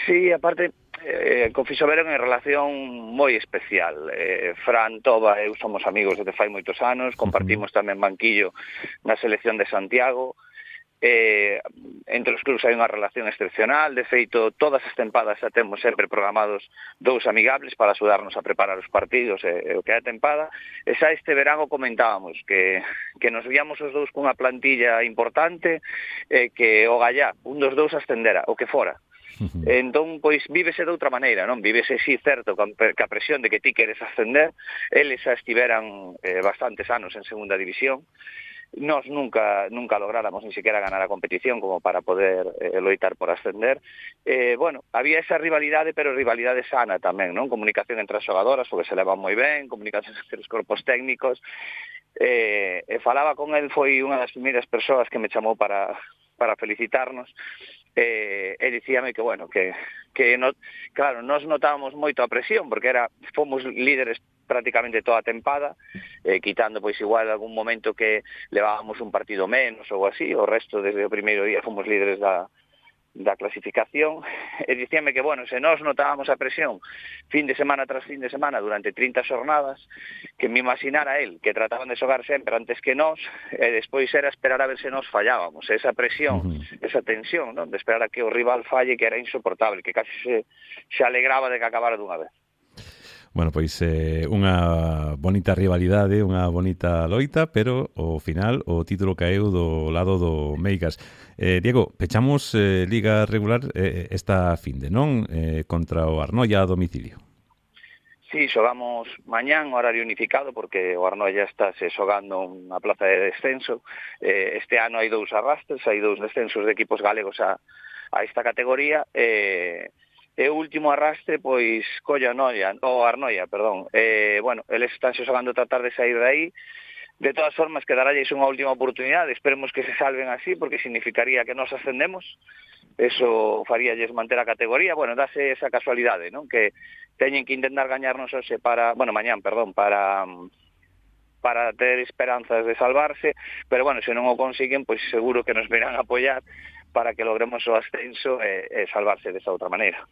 D: Sí, aparte, eh, con Fisober é unha relación moi especial. Eh, Fran, Toba, eu somos amigos desde fai moitos anos, compartimos tamén banquillo na selección de Santiago. Eh, entre os clubs hai unha relación excepcional, de feito todas as tempadas xa temos sempre programados dous amigables para axudarnos a preparar os partidos e, e o que é a tempada, e xa este verano comentábamos que, que nos víamos os dous cunha plantilla importante e que o Gallá, un dos dous ascendera, o que fora. Entón, pois, vívese de outra maneira, non? Vívese, sí, certo, que a presión de que ti queres ascender, eles xa estiveran eh, bastantes anos en segunda división, nós nunca nunca lográramos ni siquiera ganar a competición como para poder eh, loitar por ascender. Eh, bueno, había esa rivalidade, pero rivalidade sana tamén, non? Comunicación entre as xogadoras, porque se levan moi ben, comunicación entre os corpos técnicos, eh, e falaba con el, foi unha das primeiras persoas que me chamou para para felicitarnos, eh, e dicíame que, bueno, que, que no, claro, nos notábamos moito a presión, porque era fomos líderes prácticamente toda a tempada, eh, quitando pois igual algún momento que levábamos un partido menos ou así, o resto desde o primeiro día fomos líderes da, da clasificación, e dicíame que, bueno, se nós notábamos a presión fin de semana tras fin de semana durante trinta xornadas, que me imaginara el que trataban de xogar sempre antes que nós, e despois era esperar a ver se nós fallábamos, esa presión, uh-huh. esa tensión, non? De esperar a que o rival falle, que era insoportable, que casi se, se alegraba de que acabara dunha vez.
A: Bueno, pois eh, unha bonita rivalidade, unha bonita loita, pero ao final o título caeu do lado do Meigas. Eh, Diego, pechamos eh, Liga regular eh, esta finde, non? Eh, contra o Arnoia a domicilio.
D: Sí, xogamos mañán, horario unificado, porque o Arnoia está se xogando unha plaza de descenso. Eh, este ano hai dous arrastres, hai dous descensos de equipos galegos a, a esta categoría, e... Eh, E o último arrastre, pois, colla Noia, ou Arnoia, perdón. Eh, bueno, eles están xogando tratar de sair de aí. De todas formas, quedaralles unha última oportunidade, esperemos que se salven así, porque significaría que nos ascendemos, eso faríalles manter a categoría. Bueno, dase esa casualidade, non? Que teñen que intentar gañarnos hoxe para, bueno, mañán, perdón, para para ter esperanzas de salvarse, pero bueno, se non o consiguen, pois seguro que nos verán a apoiar para que logremos o ascenso e, e salvarse desa outra maneira.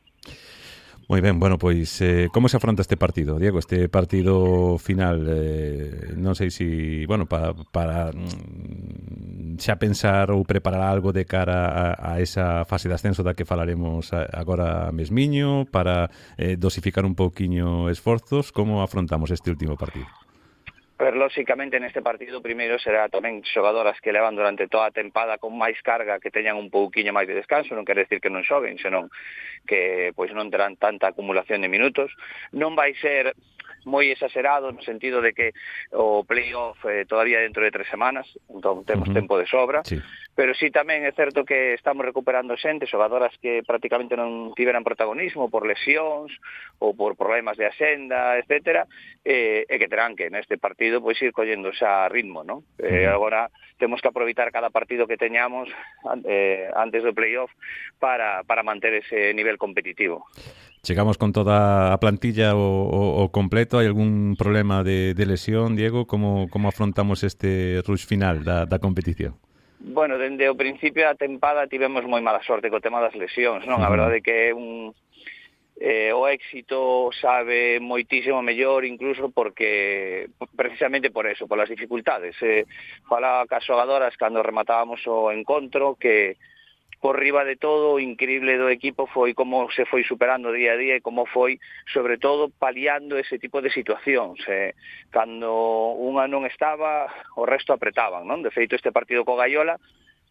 A: Moi ben, bueno, pois eh, como se afronta este partido, Diego? Este partido final, eh, non sei se, bueno, para, para mm, xa pensar ou preparar algo de cara a, a esa fase de ascenso da que falaremos agora mesmiño, para eh, dosificar un pouquiño esforzos, como afrontamos este último partido?
D: Pero, lóxicamente, neste partido primeiro será tamén xogadoras que levan durante toda a tempada con máis carga, que teñan un pouquiño máis de descanso, non quere decir que non xoguen, senón que pois non terán tanta acumulación de minutos. Non vai ser moi exagerado no sentido de que o playoff eh, todavía dentro de tres semanas, entón temos uh-huh. tempo de sobra, sí. Pero sí tamén é certo que estamos recuperando xente, xogadoras que prácticamente non tiveran protagonismo por lesións ou por problemas de axenda, etcétera, eh, e que terán que neste partido pois ir collendo xa ritmo, non? Uh-huh. Eh, agora temos que aproveitar cada partido que teñamos eh, antes do playoff para, para manter ese nivel competitivo.
A: Chegamos con toda a plantilla o, o, o completo. Hai algún problema de, de lesión, Diego? Como, como afrontamos este rush final da, da competición?
D: Bueno, dende o principio da tempada tivemos moi mala sorte co tema das lesións, non? Uh-huh. A verdade é que é un... Eh, o éxito sabe moitísimo mellor, incluso porque precisamente por eso, polas dificultades. Eh, falaba cas xogadoras cando rematábamos o encontro que por riba de todo o increíble do equipo foi como se foi superando día a día e como foi, sobre todo, paliando ese tipo de situacións. Eh, cando unha non estaba, o resto apretaban, non? De feito, este partido co Gaiola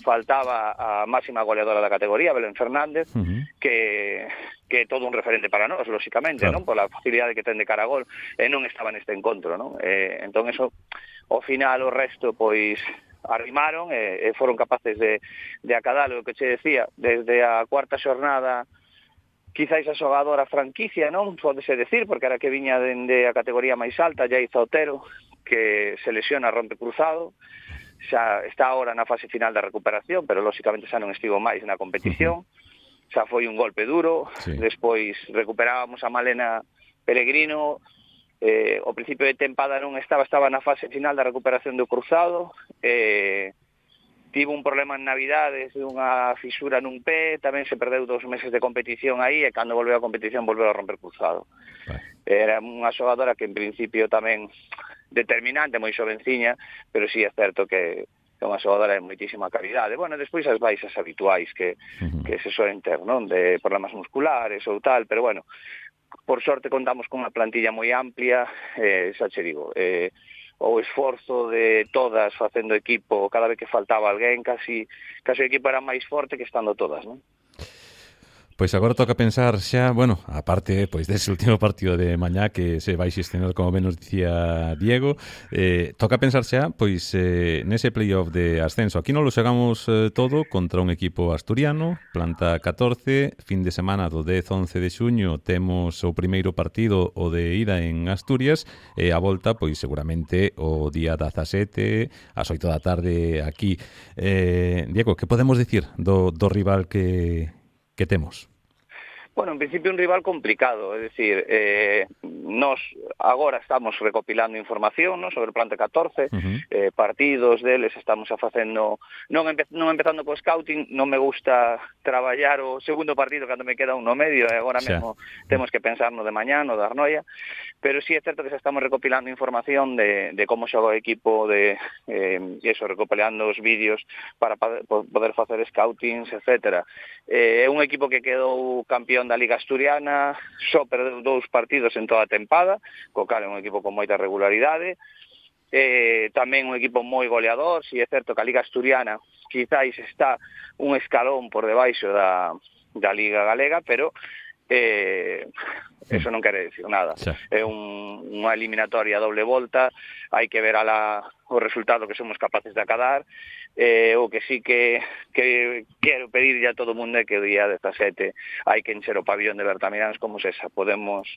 D: faltaba a máxima goleadora da categoría, Belén Fernández, uh-huh. que que é todo un referente para nós, lóxicamente, claro. Non? Pola facilidade que ten de cara a gol, e non estaba neste encontro, non? Eh, entón, eso, ao final, o resto, pois, arrimaron e, e foron capaces de, de acadar o que che decía, desde a cuarta xornada, quizáis a xogadora franquicia, non? Pódese decir, porque era que viña dende a categoría máis alta, Yaiza Otero, que se lesiona rompe cruzado, xa está ahora na fase final da recuperación, pero lóxicamente xa non estivo máis na competición, uh-huh. xa foi un golpe duro, sí. Despois recuperábamos a Malena Pellegrino, eh, o principio de tempada non estaba, estaba na fase final da recuperación do cruzado, eh, tivo un problema en Navidades, unha fisura nun pé, tamén se perdeu dos meses de competición aí, e cando volveu a competición volveu a romper cruzado. Vale. Era unha xogadora que en principio tamén determinante, moi xovenciña, pero sí é certo que é unha xogadora de moitísima calidade. Bueno, despois as baixas habituais que, uh-huh. que se soen ter, non? De problemas musculares ou tal, pero bueno, por sorte contamos con unha plantilla moi amplia, eh, xa che digo, eh, o esforzo de todas facendo equipo, cada vez que faltaba alguén, casi, casi o equipo era máis forte que estando todas, non?
A: Pois agora toca pensar xa, bueno, aparte pois dese último partido de mañá que se vai xestionar, como ben nos dicía Diego, eh, toca pensar xa pois eh, nese playoff de ascenso. Aquí non lo xogamos eh, todo contra un equipo asturiano, planta catorce, fin de semana do dez a once de xuño temos o primeiro partido, o de ida en Asturias, e a volta pois seguramente o día dezasete ás oito da tarde aquí. Eh, Diego, que podemos dicir do, do rival que que temos?
D: Bueno, en principio un rival complicado, é dicir, eh, nos agora estamos recopilando información, ¿no?, sobre Planta catorce, uh-huh. eh, partidos deles estamos a facendo, non, empe, non empezando co scouting, non me gusta traballar o segundo partido cando me queda un no medio, e agora xa. Mesmo temos que pensar no de mañá, no de Arnoia, pero sí é certo que xa estamos recopilando información de, de como xoga o equipo, de eh, eso, recopilando os vídeos para poder facer scoutings, etcétera. É eh, un equipo que quedou campeón da Liga Asturiana, só perdeu dous partidos en toda a tempada, co cal é un equipo con moita regularidade, eh, tamén un equipo moi goleador. Si é certo que a Liga Asturiana quizáis está un escalón por debaixo da, da Liga Galega, pero eh, eso non quere decir nada. Sí. É un, unha eliminatoria doble volta, hai que ver a la, o resultado que somos capaces de acadar, Eh, o que sí que, que quero pedir a todo o mundo é que o día dezasete hai que encher o pabillón de Bertamiráns como se esa. Podemos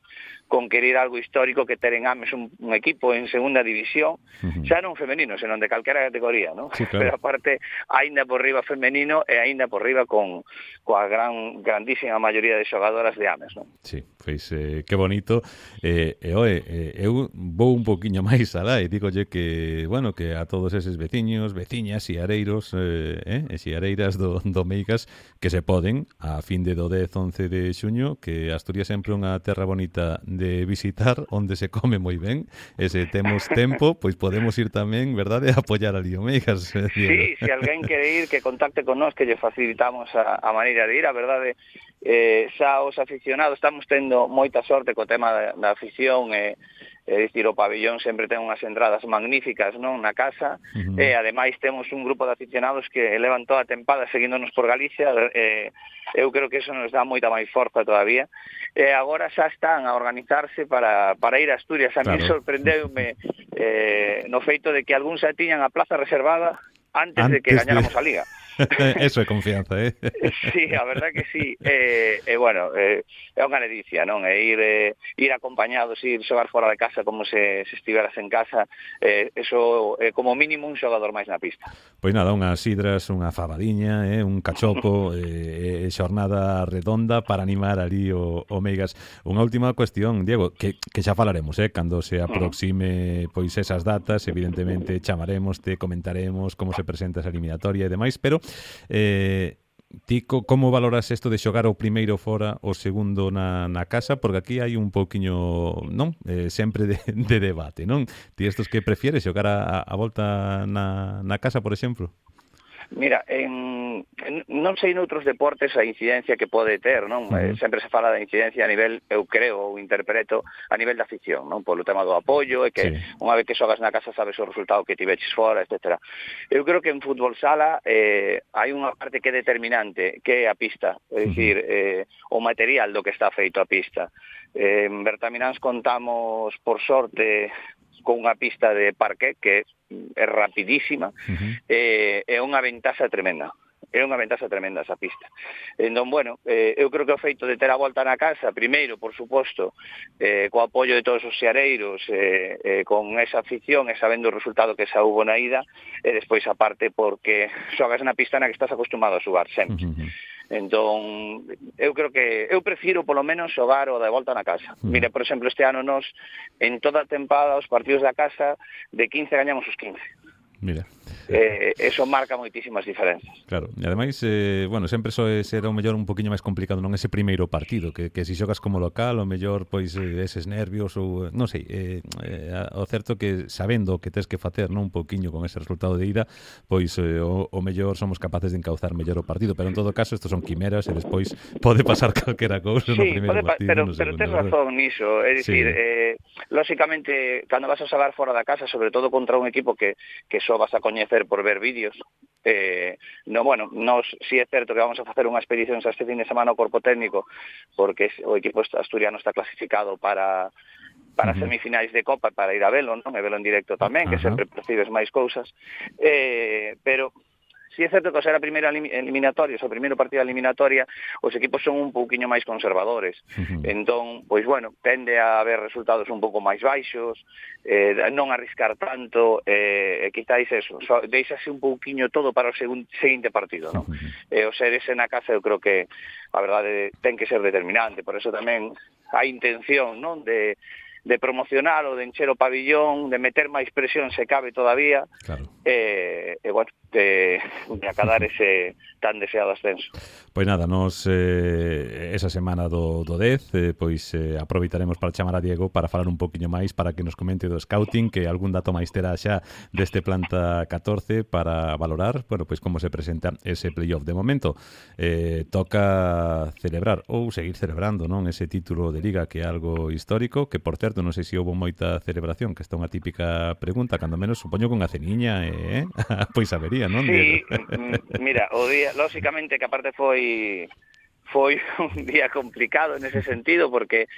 D: conquerir algo histórico que ter en Ames un, un equipo en segunda división, uh-huh. xa non femenino, senón de calquera categoría, ¿no? Sí, claro. Pero aparte, aínda por riba femenino e aínda por riba con coa gran grandísima maioría de xogadoras de Ames, ¿no?
A: Sí, pois eh, que bonito. Eh, e oe, eh, eu vou un poquinho máis alá e digolle que, bueno, que a todos eses veciños, veciñas e areiros eh, eh, e xiareiras do, do Meigas que se poden a fin de do dez once de xuño, que Asturias sempre unha terra bonita de visitar, onde se come moi ben, e se temos tempo, pois podemos ir tamén, verdade, a apoiar ali o Meigas. Eh,
D: sí, se alguén quere ir, que contacte con nós, que lle facilitamos a, a maneira de ir, a verdade, eh, xa os aficionados estamos tendo moita sorte co tema da, da afición e É dicir, o pabillón sempre ten unhas entradas magníficas, non, na casa, uh-huh. e ademais temos un grupo de aficionados que levan toda a tempada seguíndonos por Galicia, e eu creo que eso nos dá moita máis forza todavía, e agora xa están a organizarse para, para ir a Asturias. A claro. mí sorprendeume eh, no feito de que algún xa tiñan a plaza reservada antes, antes de que gañáramos de... a Liga.
A: Eso é confianza, eh?
D: Sí, a verdad que sí. E, eh, eh, bueno, eh, é unha ledicia, non? É ir, eh, ir acompañados, ir xogar fora de casa como se, se estiveras en casa, eh, eso é eh, como mínimo un xogador máis na pista.
A: Pois nada, unhas sidras, unha fabadiña, eh, un cachopo, eh, eh, xornada redonda para animar ali o, o Meigas. Unha última cuestión, Diego, que, que xa falaremos, eh, cando se aproxime pois esas datas, evidentemente chamaremos, te comentaremos como se presenta esa eliminatoria e demais, pero Eh, ti como valoras isto de xogar o primeiro fora, o segundo na, na casa? Porque aquí hai un pouquiño, non? Eh, sempre de, de debate, non? Ti estos que prefieres xogar a, a volta na, na casa, por exemplo?
D: Mira, en, en, non sei noutros deportes a incidencia que pode ter, non? Uh-huh. Eh, sempre se fala da incidencia a nivel, eu creo ou interpreto, a nivel da afición, non? Polo tema do apoio, e que sí. unha vez que xogas na casa sabes o resultado que tiveches fora, etcétera. Eu creo que en fútbol sala eh, hai unha parte que é determinante, que é a pista, é dicir, uh-huh. eh, o material do que está feito a pista. Eh, en Bertamiráns contamos, por sorte, con unha pista de parque que é rapidísima, uh-huh. e é unha ventaxa tremenda. É unha ventaxa tremenda esa pista. Entón, bueno, eh, eu creo que o feito de ter a volta na casa, primeiro, por suposto, eh, co apoio de todos os xareiros, eh, eh, con esa afición, e sabendo o resultado que xa hubo na ida, e despois, aparte, porque xogas na pista na que estás acostumado a xogar sempre. Uh-huh. Entón, eu creo que eu prefiro polo menos xogar o de volta na casa. Mm. Mire, por exemplo, este ano nos en toda a tempada os partidos da casa de quince gañamos os quince.
A: Mira.
D: Eh, eso marca moitísimas diferenzas.
A: Claro, e ademais, eh, bueno, sempre soe ser o mellor un poquinho máis complicado non ese primeiro partido, que, que se xogas como local, o mellor, pois, eh, eses nervios ou, non sei, eh, eh, o certo que sabendo que tes que facer non un poquinho con ese resultado de ida, pois eh, o, o mellor somos capaces de encauzar mellor o partido, pero en todo caso estos son quimeras e despois pode pasar calquera cousa no
D: sí,
A: primeiro
D: pa-
A: partido.
D: Pero,
A: no
D: pero
A: segundo,
D: tes razón niso, é dicir, sí. eh, lóxicamente, cando vas a xogar fora da casa, sobre todo contra un equipo que, que só vas a coñecer por ver vídeos, eh, no, bueno, nos, si é certo que vamos a facer unha expedición este fin de semana ao corpo técnico, porque o equipo asturiano está clasificado para para uh-huh. semifinais de Copa, para ir a velo, non? E velo en directo tamén, que uh-huh. sempre percibes máis cousas, eh, pero si é certo que ao ser a primeira eliminatoria, o primeiro partido eliminatoria, os equipos son un pouquiño máis conservadores. Uh-huh. Entón, pois bueno, tende a haber resultados un pouco máis baixos, eh, non arriscar tanto, eh, e quizáis eso, so, deixase un pouquiño todo para o segun, seguinte partido, non? Uh-huh. E o ser ese na casa, eu creo que a verdade ten que ser determinante, por eso tamén a intención, non, de de promocionar ou de encher o pabillón, de meter máis presión se cabe todavía, claro. e, e bueno, de, de acadar ese tan deseado ascenso.
A: Pois nada, nos eh, esa semana do, do dez, eh, pois eh, aproveitaremos para chamar a Diego para falar un poquinho máis, para que nos comente do scouting, que algún dato máis terá xa deste planta catorce para valorar, bueno, pois como se presenta ese playoff. De momento, eh, toca celebrar ou seguir celebrando, non, ese título de Liga, que é algo histórico, que por certo, non sei se houve moita celebración, que está unha típica pregunta, cando menos supoño con a ceniña, eh? Pois sabería, non?
D: Sí, mira, o día, lóxicamente que aparte foi foi un día complicado nese sentido, porque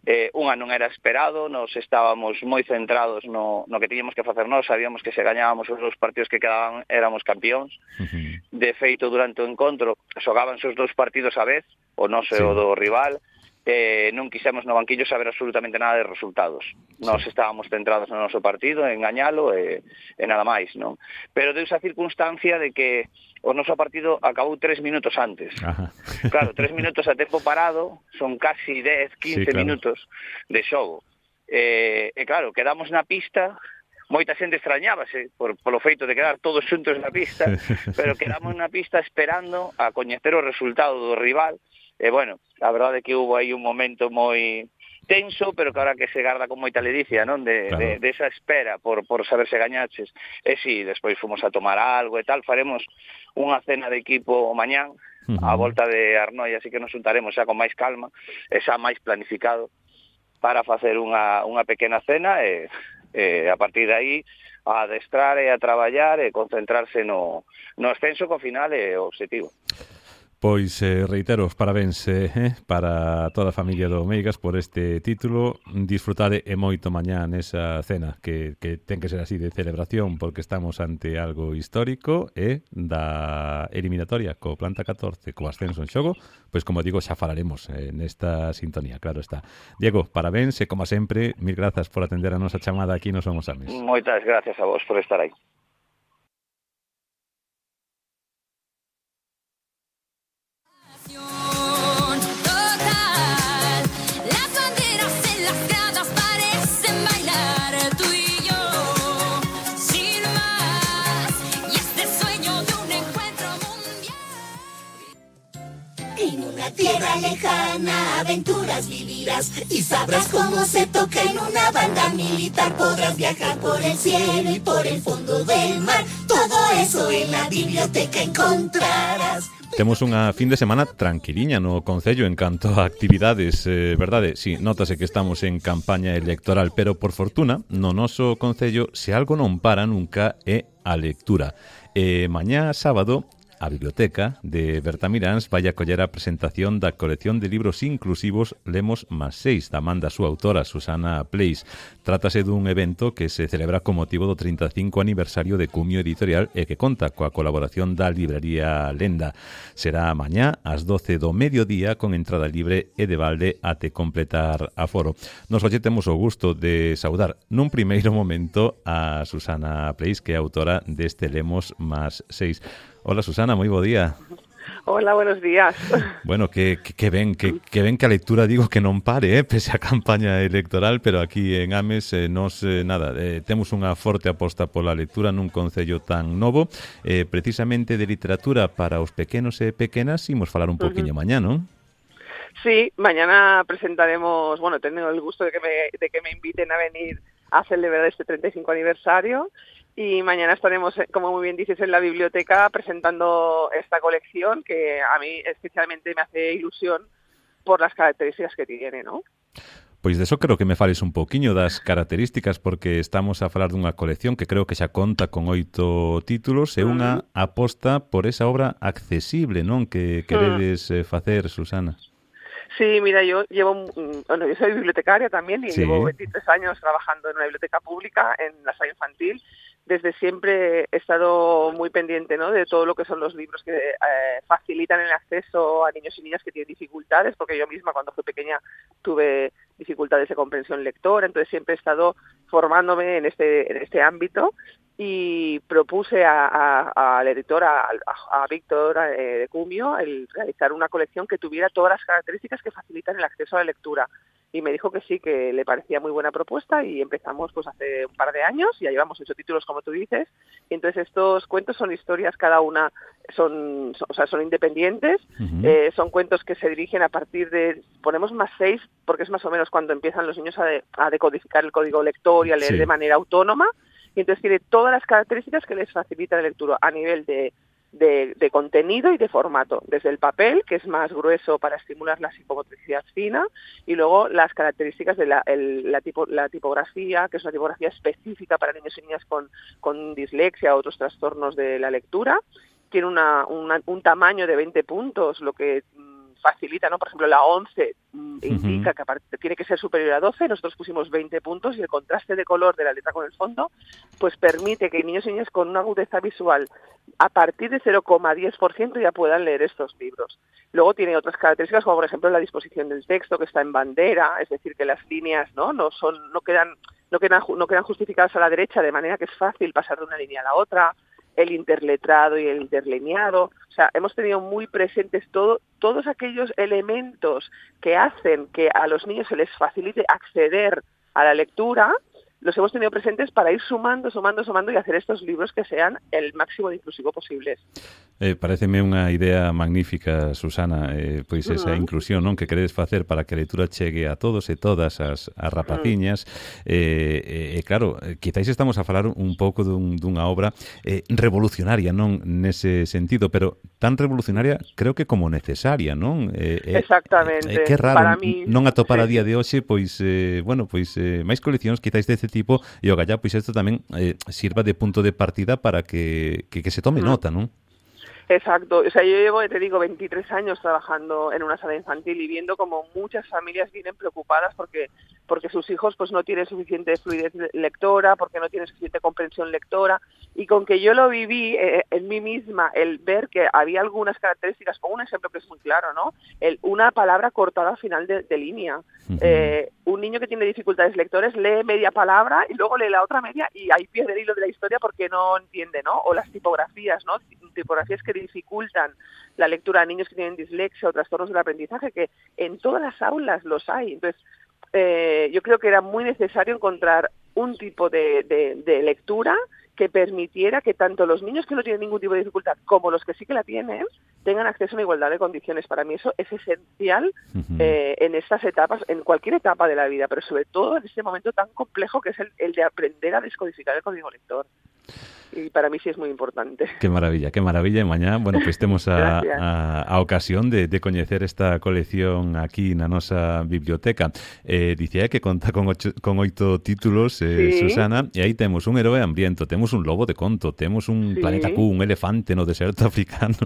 D: eh, unha non era esperado, nos estábamos moi centrados no, no que tiñamos que facer nós, sabíamos que se gañábamos os dous partidos que quedaban éramos campións. Uh-huh. De feito, durante o encontro xogábanse os dous partidos a vez, o noso e o do rival, eh, non quixemos no banquillo saber absolutamente nada de resultados. Nós sí. estábamos centrados no noso partido, en gañalo e, e nada máis, non? Pero deuse a circunstancia de que o noso partido acabou tres minutos antes. Ajá. Claro, tres minutos a tempo parado son casi dez, quince sí, claro. minutos de xogo. E, e claro, quedamos na pista, moita xente extrañábase por, polo feito de quedar todos xuntos na pista, pero quedamos na pista esperando a coñecer o resultado do rival. E, bueno, a verdade é que hubo aí un momento moi tenso, pero que ahora que se garda con moita ledicia, non? De, claro. de, de esa espera por, por saber se gañaches. E si, despois fomos a tomar algo e tal, faremos unha cena de equipo o mañán, uh-huh. a volta de Arnoi, así que nos juntaremos xa con máis calma, e xa máis planificado, para facer unha, unha pequena cena, e, e a partir de aí a adestrar e a traballar e concentrarse no, no ascenso, que ao final é o objetivo.
A: Pois eh, reitero os parabéns eh, para toda a familia do Meigas por este título. Disfrutade e moito mañá nesa cena que, que ten que ser así de celebración, porque estamos ante algo histórico e da eliminatoria co Planta catorce, co ascenso en xogo. Pois como digo, xa falaremos eh, nesta sintonía, claro está. Diego, parabéns e como sempre, mil grazas por atender a nosa chamada aquí no Somos Ames.
D: Moitas gracias a vos por estar aí.
E: Tierra lejana, aventuras vivirás y sabrás cómo se toca en una banda militar. Podrás viajar por el cielo y por el fondo del mar. Todo eso en la biblioteca encontrarás.
A: Temos unha fin de semana tranquiliña no Concello en canto a actividades, eh, verdade? Si, sí, nótase que estamos en campaña electoral, pero por fortuna, no noso Concello, se algo non para nunca é a lectura. E mañá sábado, a Biblioteca de Bertamiráns vai acoller a presentación da colección de libros inclusivos Lemos más seis, da man da súa autora, Susana Pleis. Trátase dun evento que se celebra con motivo do trinta e cinco aniversario de Cumio Editorial e que conta coa colaboración da librería Lenda. Será mañá ás doce do mediodía con entrada libre e de balde até completar aforo. Nos hoxe temos o gusto de saudar nun primeiro momento a Susana Pleis, que é autora deste Lemos más seis. Hola, Susana, moi bo día.
F: Hola, buenos días.
A: Bueno, que, que, que ven que, que ven que a lectura digo que non pare, eh, pese a campaña electoral, pero aquí en Ames eh, nos, eh, nada, eh, temos unha forte aposta pola lectura nun concello tan novo, eh, precisamente de literatura para os pequenos e pequenas, imos falar un poquinho uh-huh. mañá, non?
F: Sí, mañana presentaremos, bueno, tengo el gusto de que me, de que me inviten a venir a celebrar este treinta y cinco aniversario. Y mañana estaremos, como muy bien dices, en la biblioteca presentando esta colección que a mí especialmente me hace ilusión por las características que tiene, ¿no?
A: Pois de eso creo que me fales un poquinho das características, porque estamos a falar dunha colección que creo que xa conta con oito títulos e unha uh-huh. aposta por esa obra accesible, non? Que queredes uh-huh. facer, Susana.
F: Sí, mira, yo llevo, bueno, yo soy bibliotecaria también y sí. llevo veintitrés años trabajando en una biblioteca pública en la sala infantil. Desde siempre he estado muy pendiente, ¿no?, de todo lo que son los libros que eh, facilitan el acceso a niños y niñas que tienen dificultades, porque yo misma cuando fui pequeña tuve dificultades de comprensión lectora, entonces siempre he estado formándome en este en este ámbito y propuse a, a, al editor, a, a, a Víctor eh, de Cumio, el realizar una colección que tuviera todas las características que facilitan el acceso a la lectura. Y me dijo que sí, que le parecía muy buena propuesta y empezamos pues hace un par de años, ya llevamos ocho títulos como tú dices, y entonces estos cuentos son historias, cada una son, son o sea, son independientes, uh-huh. eh, son cuentos que se dirigen a partir de, ponemos más seis, porque es más o menos cuando empiezan los niños a, de, a decodificar el código lector y a leer sí. de manera autónoma, y entonces tiene todas las características que les facilita la lectura a nivel de De, de contenido y de formato, desde el papel, que es más grueso para estimular la psicomotricidad fina, y luego las características de la, el, la, tipo, la tipografía, que es una tipografía específica para niños y niñas con, con dislexia o otros trastornos de la lectura. Tiene una, una, un tamaño de veinte puntos, lo que facilita, ¿no? Por ejemplo, la once mm, indica uh-huh. que aparte tiene que ser superior a doce, nosotros pusimos veinte puntos y el contraste de color de la letra con el fondo pues permite que niños y niñas con una agudeza visual a partir de cero coma diez por ciento ya puedan leer estos libros. Luego tiene otras características como por ejemplo la disposición del texto que está en bandera, es decir, que las líneas no no son no quedan no quedan no quedan justificadas a la derecha, de manera que es fácil pasar de una línea a la otra, el interletrado y el interlineado. O sea, hemos tenido muy presentes todo, todos aquellos elementos que hacen que a los niños se les facilite acceder a la lectura, los hemos tenido presentes para ir sumando, sumando, sumando y hacer estos libros que sean el máximo de inclusivo posibles.
A: Eh, pareceme unha idea magnífica, Susana, eh, pois esa uh-huh. inclusión, non, que queredes facer para que a lectura chegue a todos e todas as, as rapaciñas. Uh-huh. Eh, eh, claro, quizáis estamos a falar un pouco dun, dunha obra eh, revolucionaria, non, nese sentido, pero tan revolucionaria creo que como necesaria, non? Eh,
F: Exactamente.
A: Eh, que raro
F: para mí,
A: non atopar
F: sí.
A: a día de hoxe, pois, eh, bueno, pois, eh, máis coleccións quizáis deste tipo e o gallá, pois isto tamén eh, sirva de punto de partida para que, que, que se tome uh-huh. nota, non?
F: Exacto, o sea, yo llevo, te digo, veintitrés años trabajando en una sala infantil y viendo como muchas familias vienen preocupadas porque porque sus hijos pues no tienen suficiente fluidez lectora, porque no tienen suficiente comprensión lectora, y con que yo lo viví eh, en mí misma, el ver que había algunas características, como un ejemplo que es muy claro, ¿no? El, una palabra cortada al final de, de línea. Uh-huh. Eh, un niño que tiene dificultades lectores lee media palabra y luego lee la otra media y ahí pierde el hilo de la historia porque no entiende, ¿no? O las tipografías, ¿no? Tipografías que dificultan la lectura a niños que tienen dislexia o trastornos del aprendizaje, que en todas las aulas los hay. Entonces, eh, yo creo que era muy necesario encontrar un tipo de, de, de lectura que permitiera que tanto los niños que no tienen ningún tipo de dificultad como los que sí que la tienen tengan acceso a una igualdad de condiciones. Para mí eso es esencial uh-huh. eh, en estas etapas, en cualquier etapa de la vida, pero sobre todo en este momento tan complejo que es el, el de aprender a descodificar el código lector. Y para mí sí es muy importante.
A: Qué maravilla, qué maravilla. E mañá, bueno, pois pues temos a, a, a ocasión de, de coñecer esta colección aquí na nosa biblioteca. Eh, dicía que conta con ocho, con oito títulos, eh, sí. Susana, e aí temos un heroe hambriento, temos un lobo de conto, temos un sí. planeta Q, un elefante no deserto africano,